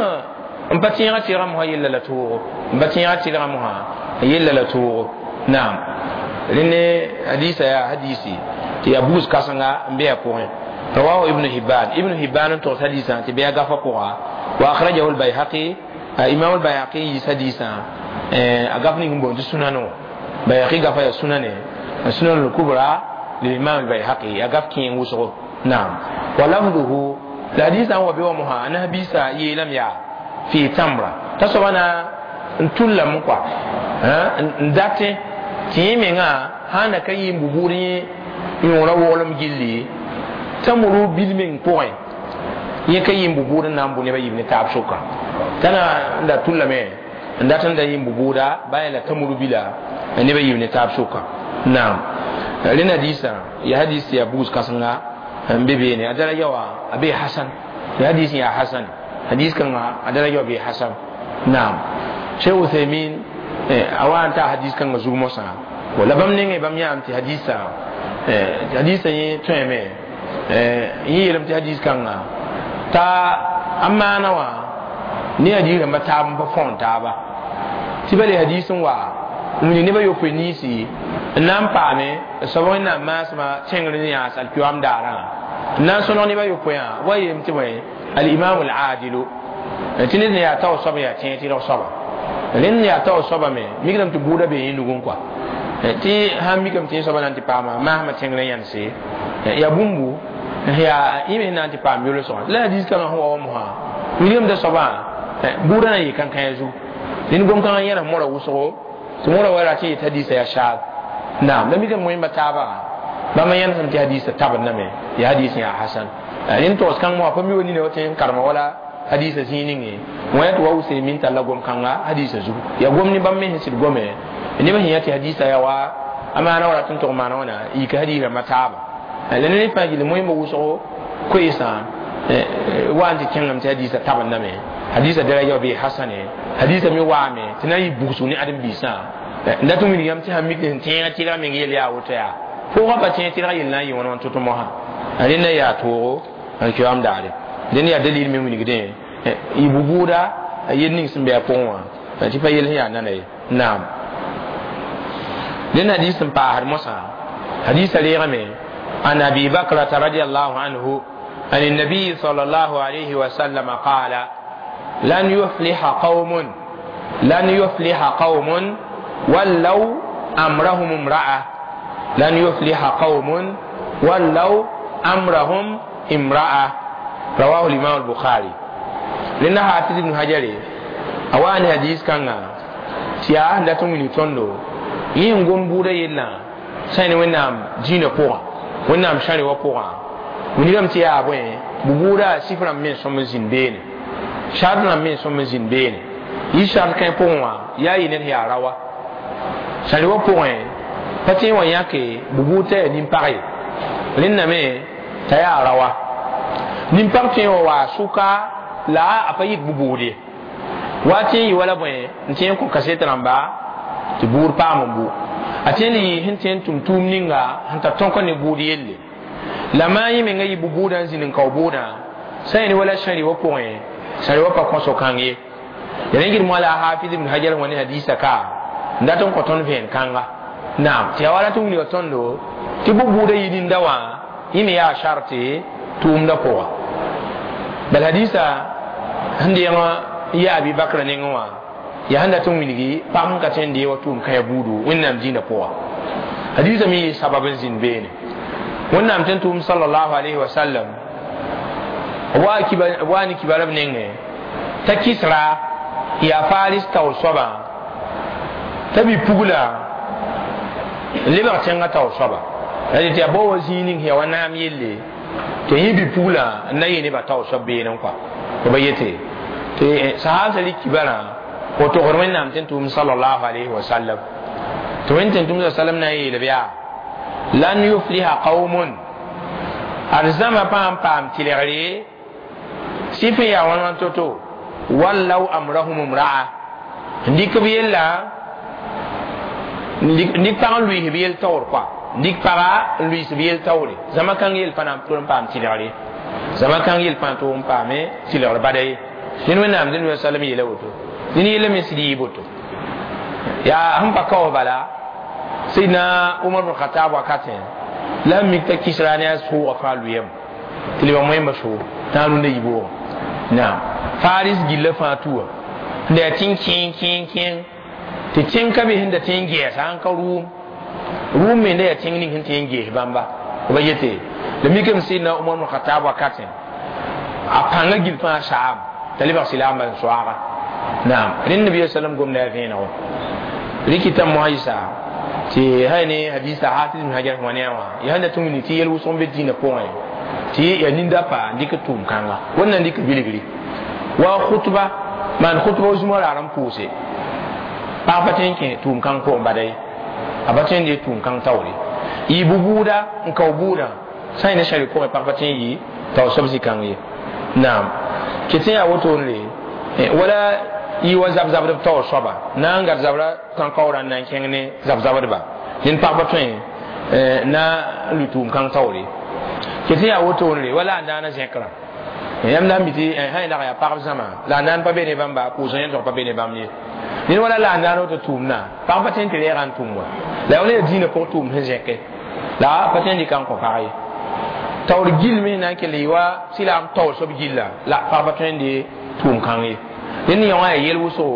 n pa tẽegã tɩlga mosã yella la toogo n pa tẽegã tɩlga mosã yella la toogo naam rẽnd hadisa yaa hadisi tɩ yaa bugs kãsenga n be a pʋgẽ رواه ابن حبان ابن حبان تغس حديثا تبيا غفا قوا واخرجه البيهقي امام البيهقي حديثا اغفني هم بون سنانو بيهقي غفا يا سنانه السنن الكبرى للإمام البيهقي أقف كين وسغو نعم ولفظه الحديث هو بيومها أنها بيسا يلم يا في تمرة تصبنا نتولى مقوى نداتي تيمينا هانا كي ببوري يورا ولم جلي تمرو بالمن بوين يكي ببوري نام بني بيبني ne taab sʋka tana nda tullame n dat n da yɩ bubuuda baa la tamuru bila neb a yiib ne taab sʋka naam rẽnd hadisa ya hadis ya bugs kãsenga n be beene a daraja wã a bee hasan ya hadis yaa hasan hadis kãnga a daraja wã bee hasan naam cheikh uthaymin a wa n taa hadis kãngã zug mosã la bãmb nengẽ bãmb yãam tɩ hadisa hadisa yẽ tõeme yẽ yeelame tɩ hadis kãnga t'a a maana wã ne hadis rãmba taab n pa fõon taaba tɩ bale hadis n wa n wilg nebã yopoe ninsi n na n paame soab wẽnnaam maasmã tẽngr n yãas alkiyoam daarã n na n sõneg nebã yopoeã wa yeelame tɩ bõe alimamu aladilu tɩ ned sẽn yaa tao soab n yaa tẽeg tɩrg soaba rẽnd yaa tao soaba me mikdame tɩ buudã bee yẽ nugẽ kɔa tɩ sãn mikame tɩ yẽ soaba na n tɩ paama maasmã tẽngr n yãnse yaa bũmbu yaa yẽ me na n tɩ paam yolsgã la hadis kãngã sẽn wa wa mosã wilgame t'a soabã buudã na n yɩ kãnkãe zug Ned gom kãngã yẽnes mora wʋsgo tɩ mora wa rat n yet hadisa yaa shaad. Naam, la mikame wẽmba taaba bãmb yẽnesem tɩ hadisa tabendame, yaa hadis yaa hasan. Rẽnd togs kãng moa pa mi wa nina wa tẽ n karema wala hadisa zĩig ninge wã tɩ wa Useymin talla gom kãnga hadisa zugu yaa gom ne bãmb me sẽn sɩd gome neb sẽn yã tɩ hadisa yaa wa a maana wa rat n tog maana wãna yika hadis rãmbã taaba. La ned fãa gill moẽmba wʋsgo koeesã wa n tɩ kẽngame tɩ hadisa tabendame, hadisa daraja bee hasane, hadisa me waame tɩ na n yɩ bugsg ne ãdem-biisã n dat n wilg yãmb tɩ sãn mik sẽn tẽegã tɩrga meng yel yaa woto yaa pʋʋgã pa tẽeg tɩrga yel na n yɩ wãn wãn tʋ-tʋ mosã rẽnda yaa toogo n kiam daare. Dẽnd yaa dalil me wilgdẽ y bu-buuda yel ning sẽn be a pʋgẽ wã tɩ pa yel sẽn yaa nana ye. Naam, dẽnd hadis sẽn paasd mosã hadisa reegame an Abi Bakrata radiallahu anhu عن النبي صلى الله عليه وسلم قال: لن يفلح قوم، لن يفلح قوم ولوا أمرهم امرأة، لن يفلح قوم ولوا أمرهم امرأة. رواه الإمام البخاري. لأن حافظ ابن حجر أوان حديث كان تيا لا تمني تندو ينقوم بودا يلا سين ونام جينا بوا ونام شاري وبوا wilgame tɩ yaa bõe bu-buudã sif rãmb me sõm n zĩnd beene, sart rãmb me sõm n zĩnd beene. Yɩ sart kãe pʋgẽ wã yaa yɩ ned yaa rawa sãr wã pʋgẽ pa tẽ wã yãke bu-buud t'a yaa nin-pag ye, rẽnda me t'a yaa rawa nin-pag tõe wã waa sʋka la a pa yit bu-buud ye wa tẽ n yɩ wala bõe n tẽ n kõ kaset rãmba tɩ buud paam n bu a tẽ n yɩ sẽn tẽ n tʋm tʋʋm ninga sẽn tar tõk ne buud yelle la maa yẽ menga yɩ bu-buudã n zĩnd n kao buudã sã yẽne wala sãri wã pʋgẽ sãri wã pa kõso kãng ye. Ya rẽ gɩd moala a Hafiz ibn Hajar wã ne hadisa ka n dat n kõ tõnd vẽen kãnga. Naam, tɩ yaa wala tɩ wilga tõndo tɩ bu-buudã yɩ ninda wã yẽ me yaa sharte tʋʋmdã pʋga. Bal hadisa sẽn deeng n yaa Abi Bakra nengẽ wã yaa sẽn dat n wilgi pag sẽn ka tõe n dee wa tʋʋm kãyã buudu Wẽnnaam dĩinã pʋga. Hadisa me yɩ sabab n zĩnd beene. Wẽnnaam tɩ n tʋʋm sallallahu alayhi wa sallam wa ne kibara b nengẽ t'a Kisra yaa Faris taoor soabã t'a bi-pugla n lebg tẽngã taoor soaba la tɩ yaa bao wa zĩig ning yaa wa naam yelle tɩ yẽ bi-pugla n na yɩ nebã taoor soab beene n kɔa b yete tɩ sahaabsã rɩk kibarã o togd Wẽnnaam tɩ n tʋʋm sallallahu alayhi wa sallam tɩ Wẽnd tɩ n tʋʋm sallam na n yeelb yaa lan yufliha qaumun arzama paam paam tɩlgre sɩf n yaa wãn wãn to-to wallaw amrahum imra'a n dɩk b yella n dɩk pag n lʋɩɩs b yel taoor kɔa n dɩk paga n lʋɩɩs b yel taoore zãma kãng yel pa na n tʋg n paam tɩlgre zãma kãng yel pa n tʋg n paame tɩlgr bada ye. Ned Wẽnnaam dẽnd sallam yeela woto ned yella me sɩd yɩ boto yaa sẽn pa kaoos bala Seydina Umar bin Khattab wakatẽ la sẽn mik t'a Kisra ne a sʋʋga fãa lʋyame tɩ lebg moẽmbã sʋʋg tã a rũndã yiboogã. Naam, Faris gilla fãa tuwa n da yaa tẽn kẽeng kẽeng kẽeng tɩ tẽng ka be sẽn da tẽ n gɛɛsa sãn ka rʋʋm rʋʋm me da yaa tẽng ning sẽn tẽ n gees bãmba b yete la mikame Seydina Umar bin Khattab wakatẽ a pãngã gill fãa saam t'a lebg silaambã n soaaga. Naam, rẽnd Nabiya sallam gomda yaa vẽeneg wã rɩkɩta moasã tɩ hay ne hadisa Hafiz ibn Hajar wã ne wã yaa sẽn dat n wilg tɩ yel wʋsg n be dĩinã pʋgẽ tɩ yaa ninda pa n dɩk tʋʋm kãnga wẽnna n dɩk bilgri wa khutba maan khutba zũma raar n pʋʋse pag pa tõe n kẽ tʋʋm kãng pʋgẽ bada ye a pa tõe n dee tʋʋm kãng taoore yɩ bu-buuda n kao buudã sã n yẽ ne sãri pʋgẽ pag pa tõe n yɩ tao soab zĩ-kãng ye. Naam, ket n yaa wotone wala yɩ wa zab-zabdb taoor soaba na n gad zabra tãn-kaoorã n na n kẽng ne zab-zabdba ned pag pa tõe na n lʋ tʋʋm kãng taoore ket n yaa wotone wala a daana zẽkrã yãmb na n mi tɩ sã y nag yaa pagb zãma la a naan pa be ne bãmba pʋʋsg yẽn tog pa be ne bãmb ye ned wala la a naan woto tʋʋmdã pag pa tõe n tɩ reegã n tʋm wa la yaa wala yaa dĩinã pʋg tʋʋm sẽn zẽke la pa tõe n dɩka n kõ pag ye taoor gill me na n kell yɩ wa sɩlaam taoor soab gilla la pag pa tõe n dee tʋʋm kãng ye dẽnd yõ wã yaa yel wʋsgo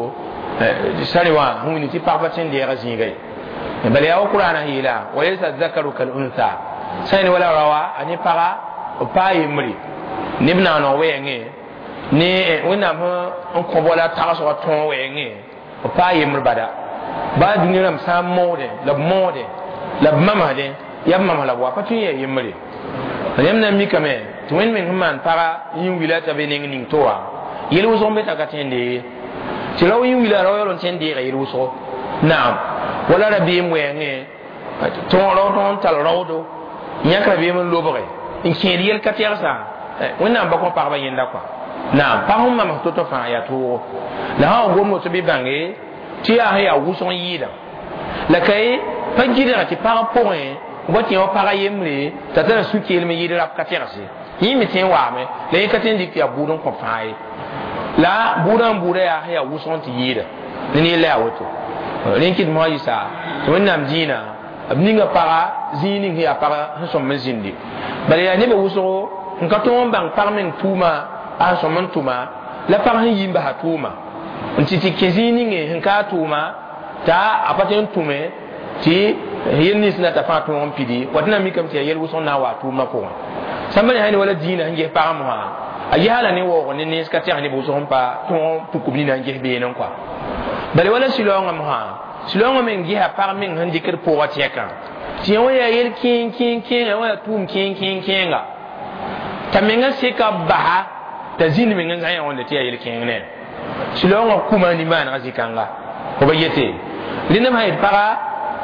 sãre wã sẽn wilg tɩ pag pa tõe n deega zĩiga ye bala yaa wa Qur'ana yeela wa laysa zakaru kal untha sã yẽne wala rawa a ne paga b paa yembre neb naaneg wɛɛngẽ ne Wẽnnaam sẽn kõ wala tagsgã tõog wɛɛngẽ b paa yembr bada baa dũni rãmb sã n moodẽ la b moodẽ la b mamsdẽ yaa b mams la b wa pa tõe n yaa yembre yãmb na n mikame tɩ wẽnd meng sẽn maan paga yĩn wila t'a be neng ning to wã yel wʋsg n be t'a ka tõe n deege tɩ rao yĩn wila rao yaool n tõe n deega yel wʋsgo naam wala rabeem wɛɛngẽ rao tõog n tall raoodo n yãk rabeem n lobge n kẽed yel ka tɛgsã wẽnnaam ba kõ pagba yẽnda kɔa naam pag sẽn mams to-to fãa yaa toogo la sã wa gom woto bɩ bãnge tɩ yaa sẽn yaa wʋsg n yɩɩda la ka ye pa gɩdga tɩ pag pʋgẽ wa tɩ wã pag yembre t'a tara sũ-keelem n yɩɩd rap ka tɛgse yẽ me tõe n waame la yẽ ka tõe n dɩk tɩ yaa bʋʋd n kõ fãa ye la bʋʋdã n bʋʋda yaa sẽn yaa wʋsg n tɩ yɩɩda ne yella yaa woto rẽn kɩt mosã yɩsa tɩ wẽnnaam dĩinã b ninga paga zĩig ning sẽn yaa paga sẽn sõm n zĩndi bala yaa nebã wʋsgo n ka tõog n bãng pag meng tʋʋma a sẽn sõm n tʋma la pag sẽn yi n basa tʋʋma n tɩ tɩ kẽ zĩig ninge sẽn ka a tʋʋma t'a a pa tõe n tʋme tɩ yel nins na t'a fãa tõog n pidi wa tɩ na n mikame tɩ yaa yel wʋsg n na n wa a tʋʋmã pʋgẽ sãmba ne sã ne wala dĩinã sẽn ges pagã mosã a ges la ne waoog ne nens ka tɛgs neb wʋsg n pa tõog n puk b nina n ges beene n kɔa bala wala sɩlaoongã mosã sɩlaoongã meng gesa pag meng sẽn dɩkd pʋgã tɛkã tɩ yẽ wã yaa yel kẽeng kẽeng kẽenga wã yaa tʋʋm kẽeng kẽeng kẽenga t'a menga seka basa t'a zĩnd meng n zã yã wãnde tɩ yaa yel kẽeng ne sɩlaoongã kuma nimaanegã zĩ-kãnga fo ba yete rẽndame sã yet paga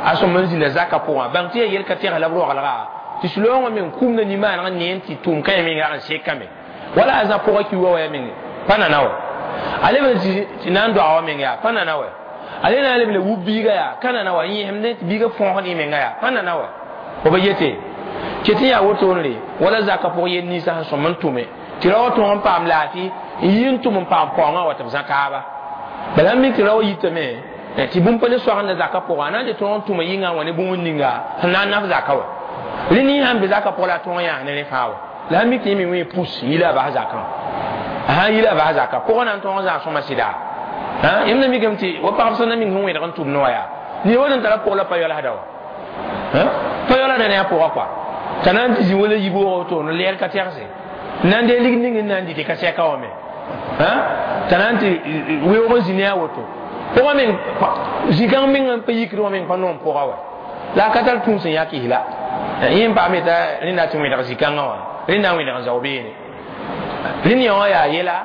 a sõm n zĩnda zakã pʋgã bãng tɩ yaa yel ka tɛgs la b roagelga tɩ sɩlaoongã meng kumda nimaanegã ne n tɩ tʋʋm kãyã meng rag n sekame wala a zã pʋgã ki wa wa ya meng pa nana wa a leb n tɩ na n doaga wa meng yaa pa nana wa a le na n leb le wub biiga yaa ka nana wa n yẽsemdẽ tɩ biiga fõosd y menga yaa pa nana wa fo ba yete ket n yaa wotone wala zakã pʋg yel ninsã sẽn sõm n tʋme tɩ ra wa tõog n paam laafɩ n yi n tʋm n paam paoongã wa tɩ b zã kaaba bala n mik tɩ ra wa yitame tɩ bũmb pa le soagenda zakã pʋgã a na n tɩ tõog n tʋma yĩngã n wa ne bũmb n ninga sẽn na n naf zakã wa rẽ nin sãn be zakã pʋgã la a tõog n yãas ne rẽ fãa wa la sãn mik tɩ yẽ me wẽ pus n yi la a bas zakã a sãn yi la a bas zakã pʋgã na n tõog n zãas sõma sɩda yẽmb na mikame tɩ wa pagb sẽn na ming sẽn wẽdg n tʋmd wã yaa ned wa sẽn tara pʋg la pa yɔlsda wa pa yɔlsda ne a pʋgã kɔa t'a na n tɩ zĩ wala yiboog woto n lɛɛr ka tɛgse n na n dee lig ning n na n dɩ tɩ ka sɛka wã me t'a na n tɩ weoog n zĩ ne a woto pʋgã meng zĩ-kãng meng n pa yikd wã meng pa noom pʋga wa la a ka tar tũus n yak la yẽ n paame t'a rẽnda tɩ wẽdg zĩ-kãngã wã rẽnda n wẽdg n zao beene rẽnd yã wã yaa yɛla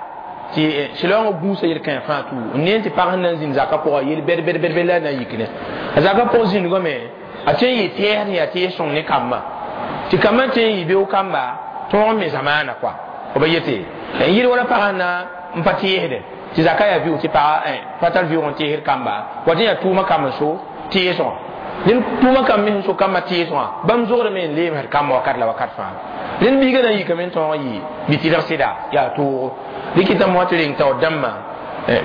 tɩ sɩlaoongã gũusa yel-kãe fãa tu n ne tɩ pag sẽn na n zĩnd zakã pʋgã yel bɛd bɛd bɛd bɛd la a na n yikne a zakã pʋg zĩndgame a tõe n yɩ tɛɛsd n yaa tɛɛs sõng ne kambã tɩ kambã tõe n yɩ beoog kamba tõog n me zamaana kɔa f ba yete n yɩl wala pagã na n pa tẽesdẽ tɩ zaka yaa vɩʋg tɩ paga pa tar vɩʋg n teesd kamba wa tɩ yaa tʋʋmã kamb n so teesgã rẽnd tʋʋmã kamb me sẽn so kambã teesgã bãmb zogdame n leemsd kambã wakat la wakat fãa rẽnd biigã na n yikame n tõog n yɩ bɩ tɩlg sɩda yaa toogo rɩkɩtame wã tɩ reng taoor dãmbã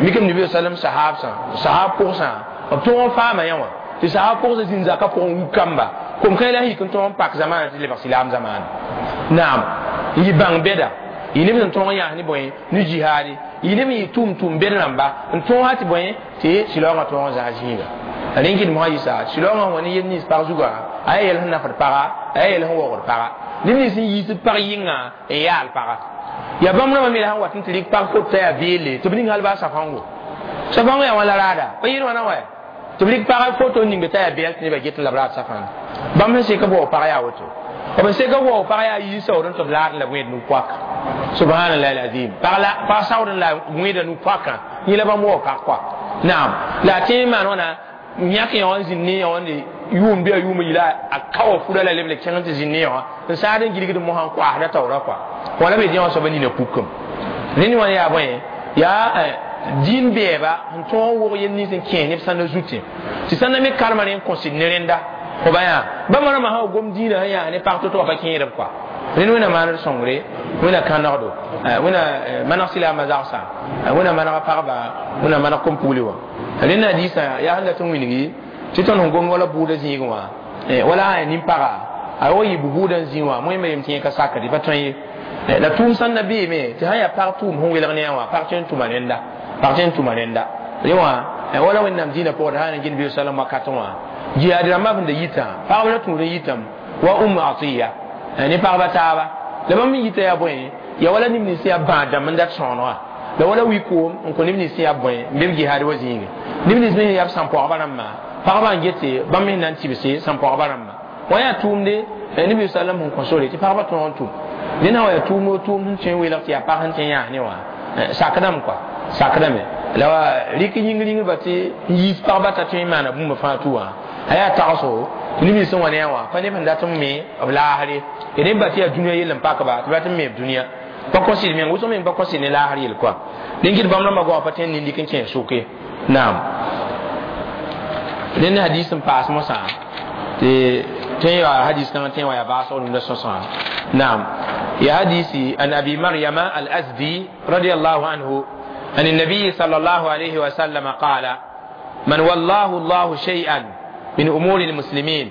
mikame nabi sallam sahaabsã sahaab pʋgsã b tõog n faama yã wã tɩ sahaab pʋgsã zĩnd zakã pʋgẽ wuk kamba kom kãe la yik n tõog n pak zamaana tɩ lebg silaam zamaana naam n yɩ bãng bɛda yɩ neb sẽn tõog n yãas ne bõe ne jihaade yɩ neb n yɩ tʋʋm bɛd rãmba n tõog sã tɩ bõe tɩ sɩlaoongã tõog n zãas zĩiga rẽn kɩt mosã yɩsa sɩlaoongã wa ne yel nins pag zugã a yaa yɛl sẽn nafd paga a yaa yɛl sẽn waoogd paga neb nins sẽn yiisd pag yɩnga n yaal paga yaa bãmb rãmbã me la sẽn wat n tɩ rɩk pag fot t'a yaa beelle tɩ b ning hal baa safãngo safãngo yaa wã la raada pa yɩɩd wãna wa tɩ b rɩk pag foto n ningbe t'a yaa bɛɛl tɩ nebã get n la b raad safãna bãmb sẽn sek b waoog pag yaa woto b sek b waoog pag yaa yiis saood n tɩ b laad la b wẽed nu-poaka subhanallah alazim pag saood n la wẽeda nu-poakã yẽ la bãmb waoog pag kɔa naam la a tẽ n maan wãna yãk yã wã n zĩnd ne yã wã ne yʋʋm bɩ a yʋʋm yila a kao fura la leb le kẽng tɩ zĩnd ne yã wã n saad n gilgd mosã n koasda taoora kɔa wala be dẽ wã soaba nina pukem rẽnd wã yaa bõe yaa dĩin bɛɛba n tõog n wog yel nins n kẽes neb sãnda zutẽ tɩ sãnda me karema rẽ n kõsd ne rẽnda fo ba yaa bãmb rãmbã sã wa gom dĩinã sẽn yaa ne pag to-to wã pa kẽedb kɔa rẽnd wẽna maand sõngre wẽna kãnegdo wẽna maneg silaamã zagsã wẽna manega pagba wẽna maneg kom-pugli wã rẽnd hadiisã yaa sẽn dat n wilgi tɩ tõnd sẽn gom wala bʋʋda zĩigẽ wã wala a nin-paga a wa yɩ bʋʋda n zĩ wã moẽmba yem tɩ yẽ ka sakd pa tõe ye la tʋʋm sãn na beeme tɩ sã yaa pag tʋʋm sẽn welg ne yã wã pag tõe n tʋma rẽnda pag tõe n tʋma rẽnda rẽ wã wala wẽnnaam dĩinã pʋgd sã n gẽnd bi salam wakatẽ wã jihaad rãmbã sẽn da yitã pagb la tũud n yitame wa um atiya ne pagba taaba la bãmb n yita yaa bõe ya wala neb nins yaa bãad dãmb n dat sõonegã La wala wi koom n kõ neb nins sẽn yaa bõe n be b jihaad wa zĩige neb nins me sẽn yaa b sãn-pɔgba rãmbã pagba n gete bãmb me na n tɩbse sãn-pɔgba rãmbã wã yaa tʋʋmde nabi sallam sẽn kõ sore tɩ pagba tõog n tʋm dẽnã wa yaa tʋʋm o tʋʋm sẽn tõe n weelg tɩ yaa pag sẽn tõe n yãas ne wã sakdame kɔa sakdame la wa rɩk yĩng ringrba tɩ n yiis pagba t'a tõe n maana bũmb fãa tʋ wã a yaa tagsgo tɩ neb nins sẽn wa ne a wã pa neb sẽn dat n me b laasre ya neb ba tɩ yaa dũniyã yell n pakba tɩ bat n me b dũniyã pa kõ sɩd meng wʋsg meng pa kõ sɩd ne laasr yel kɔa dẽn kɩt bãmb rãmbã goamã pa tõe n nin-dɩk n kẽ sʋke naam rẽnd hadis n paas mosã tɩ tõe yaa hadis kãngã tõe n wa yaa baasg rũndã sõsgã naam ya hadisi an abi maryama al-azdi radiyallahu anhu عن النبي صلى الله عليه وسلم قال من والله الله شيئا من أمور المسلمين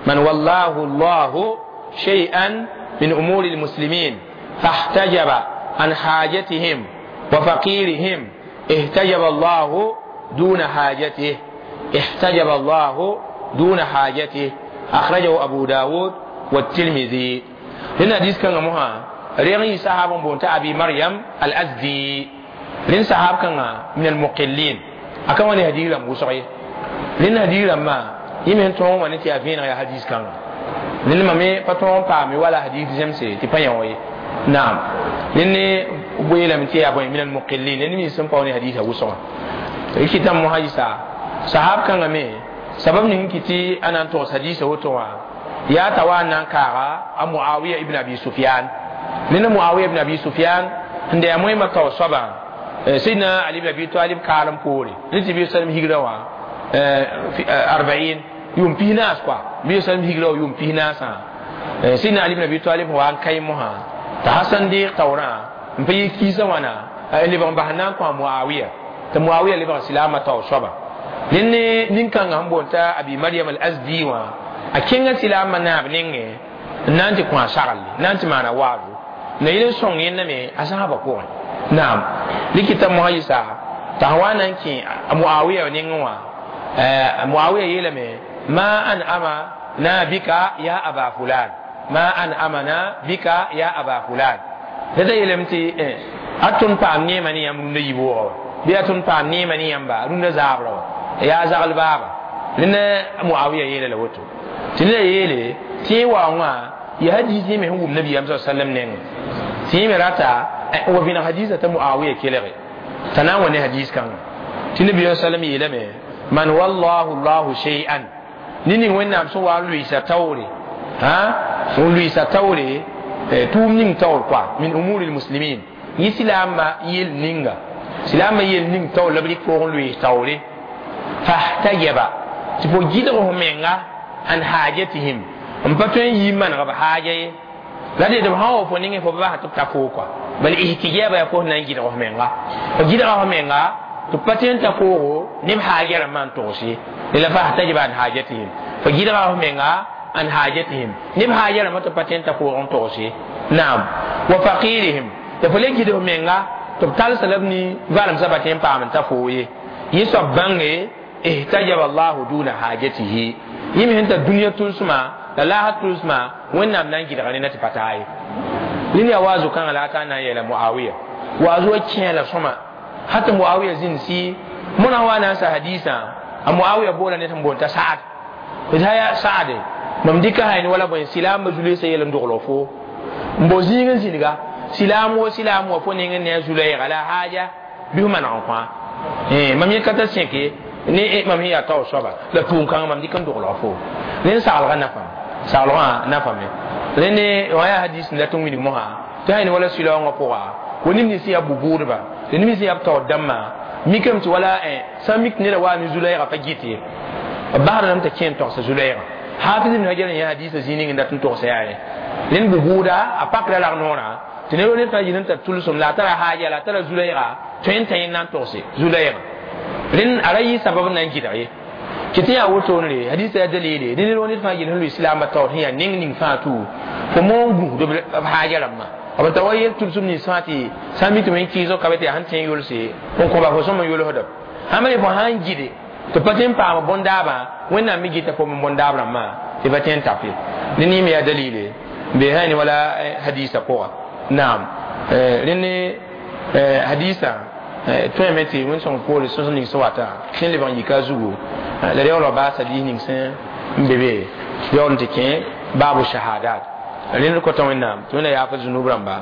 من والله الله شيئا من أمور المسلمين فاحتجب عن حاجتهم وفقيرهم احتجب الله دون حاجته احتجب الله دون حاجته أخرجه أبو داود والترمذي لأن حديث كان مها ريغي صحابة بونتا أبي مريم الأزدي لأن صحاب كان من المقلين أكما هدي لم وسعي لأن هدي لما يمن تون ونتي أفين يا حديث كان لأن ما مي باتون بامي ولا حديث جمسي تبين نعم لأن بويلا من تي أبو من المقلين لأن من سمبوني حديث وسعي كتاب محاجسة صحاب كان مي sabab ning kiti anan to hadisa woto wa ya tawa nan kara a muawiya ibn abi sufyan nina muawiya ibn abi sufyan nde ya moy maka saba sayyidina ali ibn abi talib kalam pore ni bi sallam higra wa 40 yum pinas kwa bi sallam higra wa yum pinas ha sayyidina ali ibn abi talib wa an kai muha ta hasan di tawra mpe kisa wana li ban bahna kwa muawiya ta muawiya li ban silama taw saba nenne ninkanga n boonta abi maryam al-azdi wã a kẽnga silaamã naab nengẽ n na n tɩ kõ a sagle na n tɩ maana waazo na yel n sõng yẽnda me a sãabã pʋgẽ naam rɩkɩta mosã yɩsa t'a sã wa na n kẽ a muawiya nengẽ wã muawiya yeelame ma an ama na bika ya aba fulan ma an amana bika ya aba fulan la da yeelame tɩ a tõnd paam neemã ne yãmb rũndã yiib wʋgã wa bɩ a tõnd paam neemã ne yãmba rũndã zaabrã wa ya zagal baba lene muawiya yele la woto tɩ neda yeele tɩ wa wã ya hadisi me wum nabi am sallam neng tɩ me rata wa vĩna hadisa t'a muawiya kelge t'a na n wa ne hadis kãnga tɩ nabi sallam yeelame man wallahu llahu shay'an ne ning wẽnnaam sẽn wa n lʋɩɩsa taoore n lʋɩɩsa taoore tʋʋm ning taoor kɔa min umuri lmuslimin yẽ silaambã yel ninga silaambã yel ning taoor la b rɩk pʋgẽ lʋɩɩs taoore fahtajaba tɩ fo gɩdg f menga an hajatihim n pa tõe n yɩ maneg b haaja ye la d b sã wa fo nengẽ fo bas tɩ b ta foo kɔa bal ihtijaba yaa fo na n gɩdg f menga fo gɩdga f menga tɩ b pa tõe n ta foogo neb haaja rãmbã n togs ye la fahtajaba an hajatihim fo gɩdga f menga an hajatihim neb haaja rãmbã tɩ b pa tõe n ta foog n togs ye naam wa faqirihim tɩ fo le gɩd f menga tɩ b talsa la b ni valemsã pa tõe n paam n ta foo ye yẽ soab bãnge احتجب الله دون حاجته يمه انت الدنيا تلسما لا لا تلسما وين نام نانجي دغني نتي باتاي لين يا وازو كان لا كان يلا معاويه وازو كين لا سما حتى معاويه زين سي منا وانا سا حديثا معاويه بولا نتم بونتا سعد إذا يا سعد mam dika hayni wala boy silam zulay sa yelam doglo fo mbo zingin ziniga silam wo silam wo fo ningen ne zulay ala haja bi man en kwa mam yekata seke ne mam ya taw soaba la tʋʋm kãngã mam dɩk n dogl fo rẽnd saglgã nafam saglgã nafame rẽnd wã yaa hadis n dat n wilg mosã tɩ sã wala sɩlaoongã pʋga wa neb nins yaa bu-buudba tɩ neb nins yaa b taoor dãmbã mikame tɩ wala sã n mik tɩ neda waa ne zu-lɛɛgã pa gɩt ye b basdame t'a kẽ n togsa zu-lɛɛgã hafiz ibn hajar n yaa hadisã zĩig ning n dat n togsa yaa rẽ rẽnd bu-buuda a pakra lag noorã tɩ neb ned fãa yɩl n tar tʋlsem la a tara haaja la a tara zu-lɛɛga tõe n tã yẽnd na n togse zu-lɛɛgã rẽnd a ra yɩ sabab n na n gɩdg ye kɩ tɩ yaa wotone hadisa yaa dalile dẽ ned wa ned fãa yel sẽn lʋɩ silaambã taoor sẽn yaa ning ning fãa tʋ fo moon gũusd b haaja rãmbã b ta wa yel tʋlsem nins fãa tɩ sã n mi tɩ wẽn kɩɩsg ka be tɩ yaa sẽn tõe n yolse n kõba fo sõm n yolsda sãn re fo sã n gɩde tɩ pa tõe n paam bõn-daabã wẽnnaam me gɩta fo bõn-daab rãmbã tɩ pa tõe n tap ye dẽ ne me yaa dalile n be sã ne wala hadisa pʋga naam rẽnd hadisa Tõeme tɩ wẽn-sõng poore sõs ning sẽn wata sẽn lebg n yika a zugu la yaool baasa lis ning sẽn n be be yaool n tɩ kẽ baabu shahadat. Rẽnd kota Wẽnnaam tɩ Wẽnna yaaf zunub rãmba,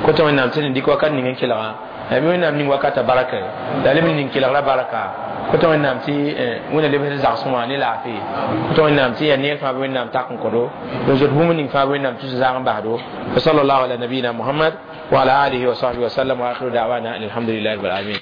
kota Wẽnnaam tɩ d dɩk wakat ning n kelga bɩ Wẽnnaam ning wakata baraka la leb n ning kelgra baraka. Kota Wẽnnaam tɩ Wẽnna lebs zagsẽ wã ne laafɩ. Kota Wẽnnaam tɩ yaa neer fãa bɩ Wẽnnaam tak n kõdo n zot bũmb ning fãa bɩ Wẽnnaam tus zaag n basdo. Wa sallallahu ala nabiyina Muhammad wa ala alihi wa sahbihi wa sallam wa akhiru da'wana alhamdulillahi rabbil alamin.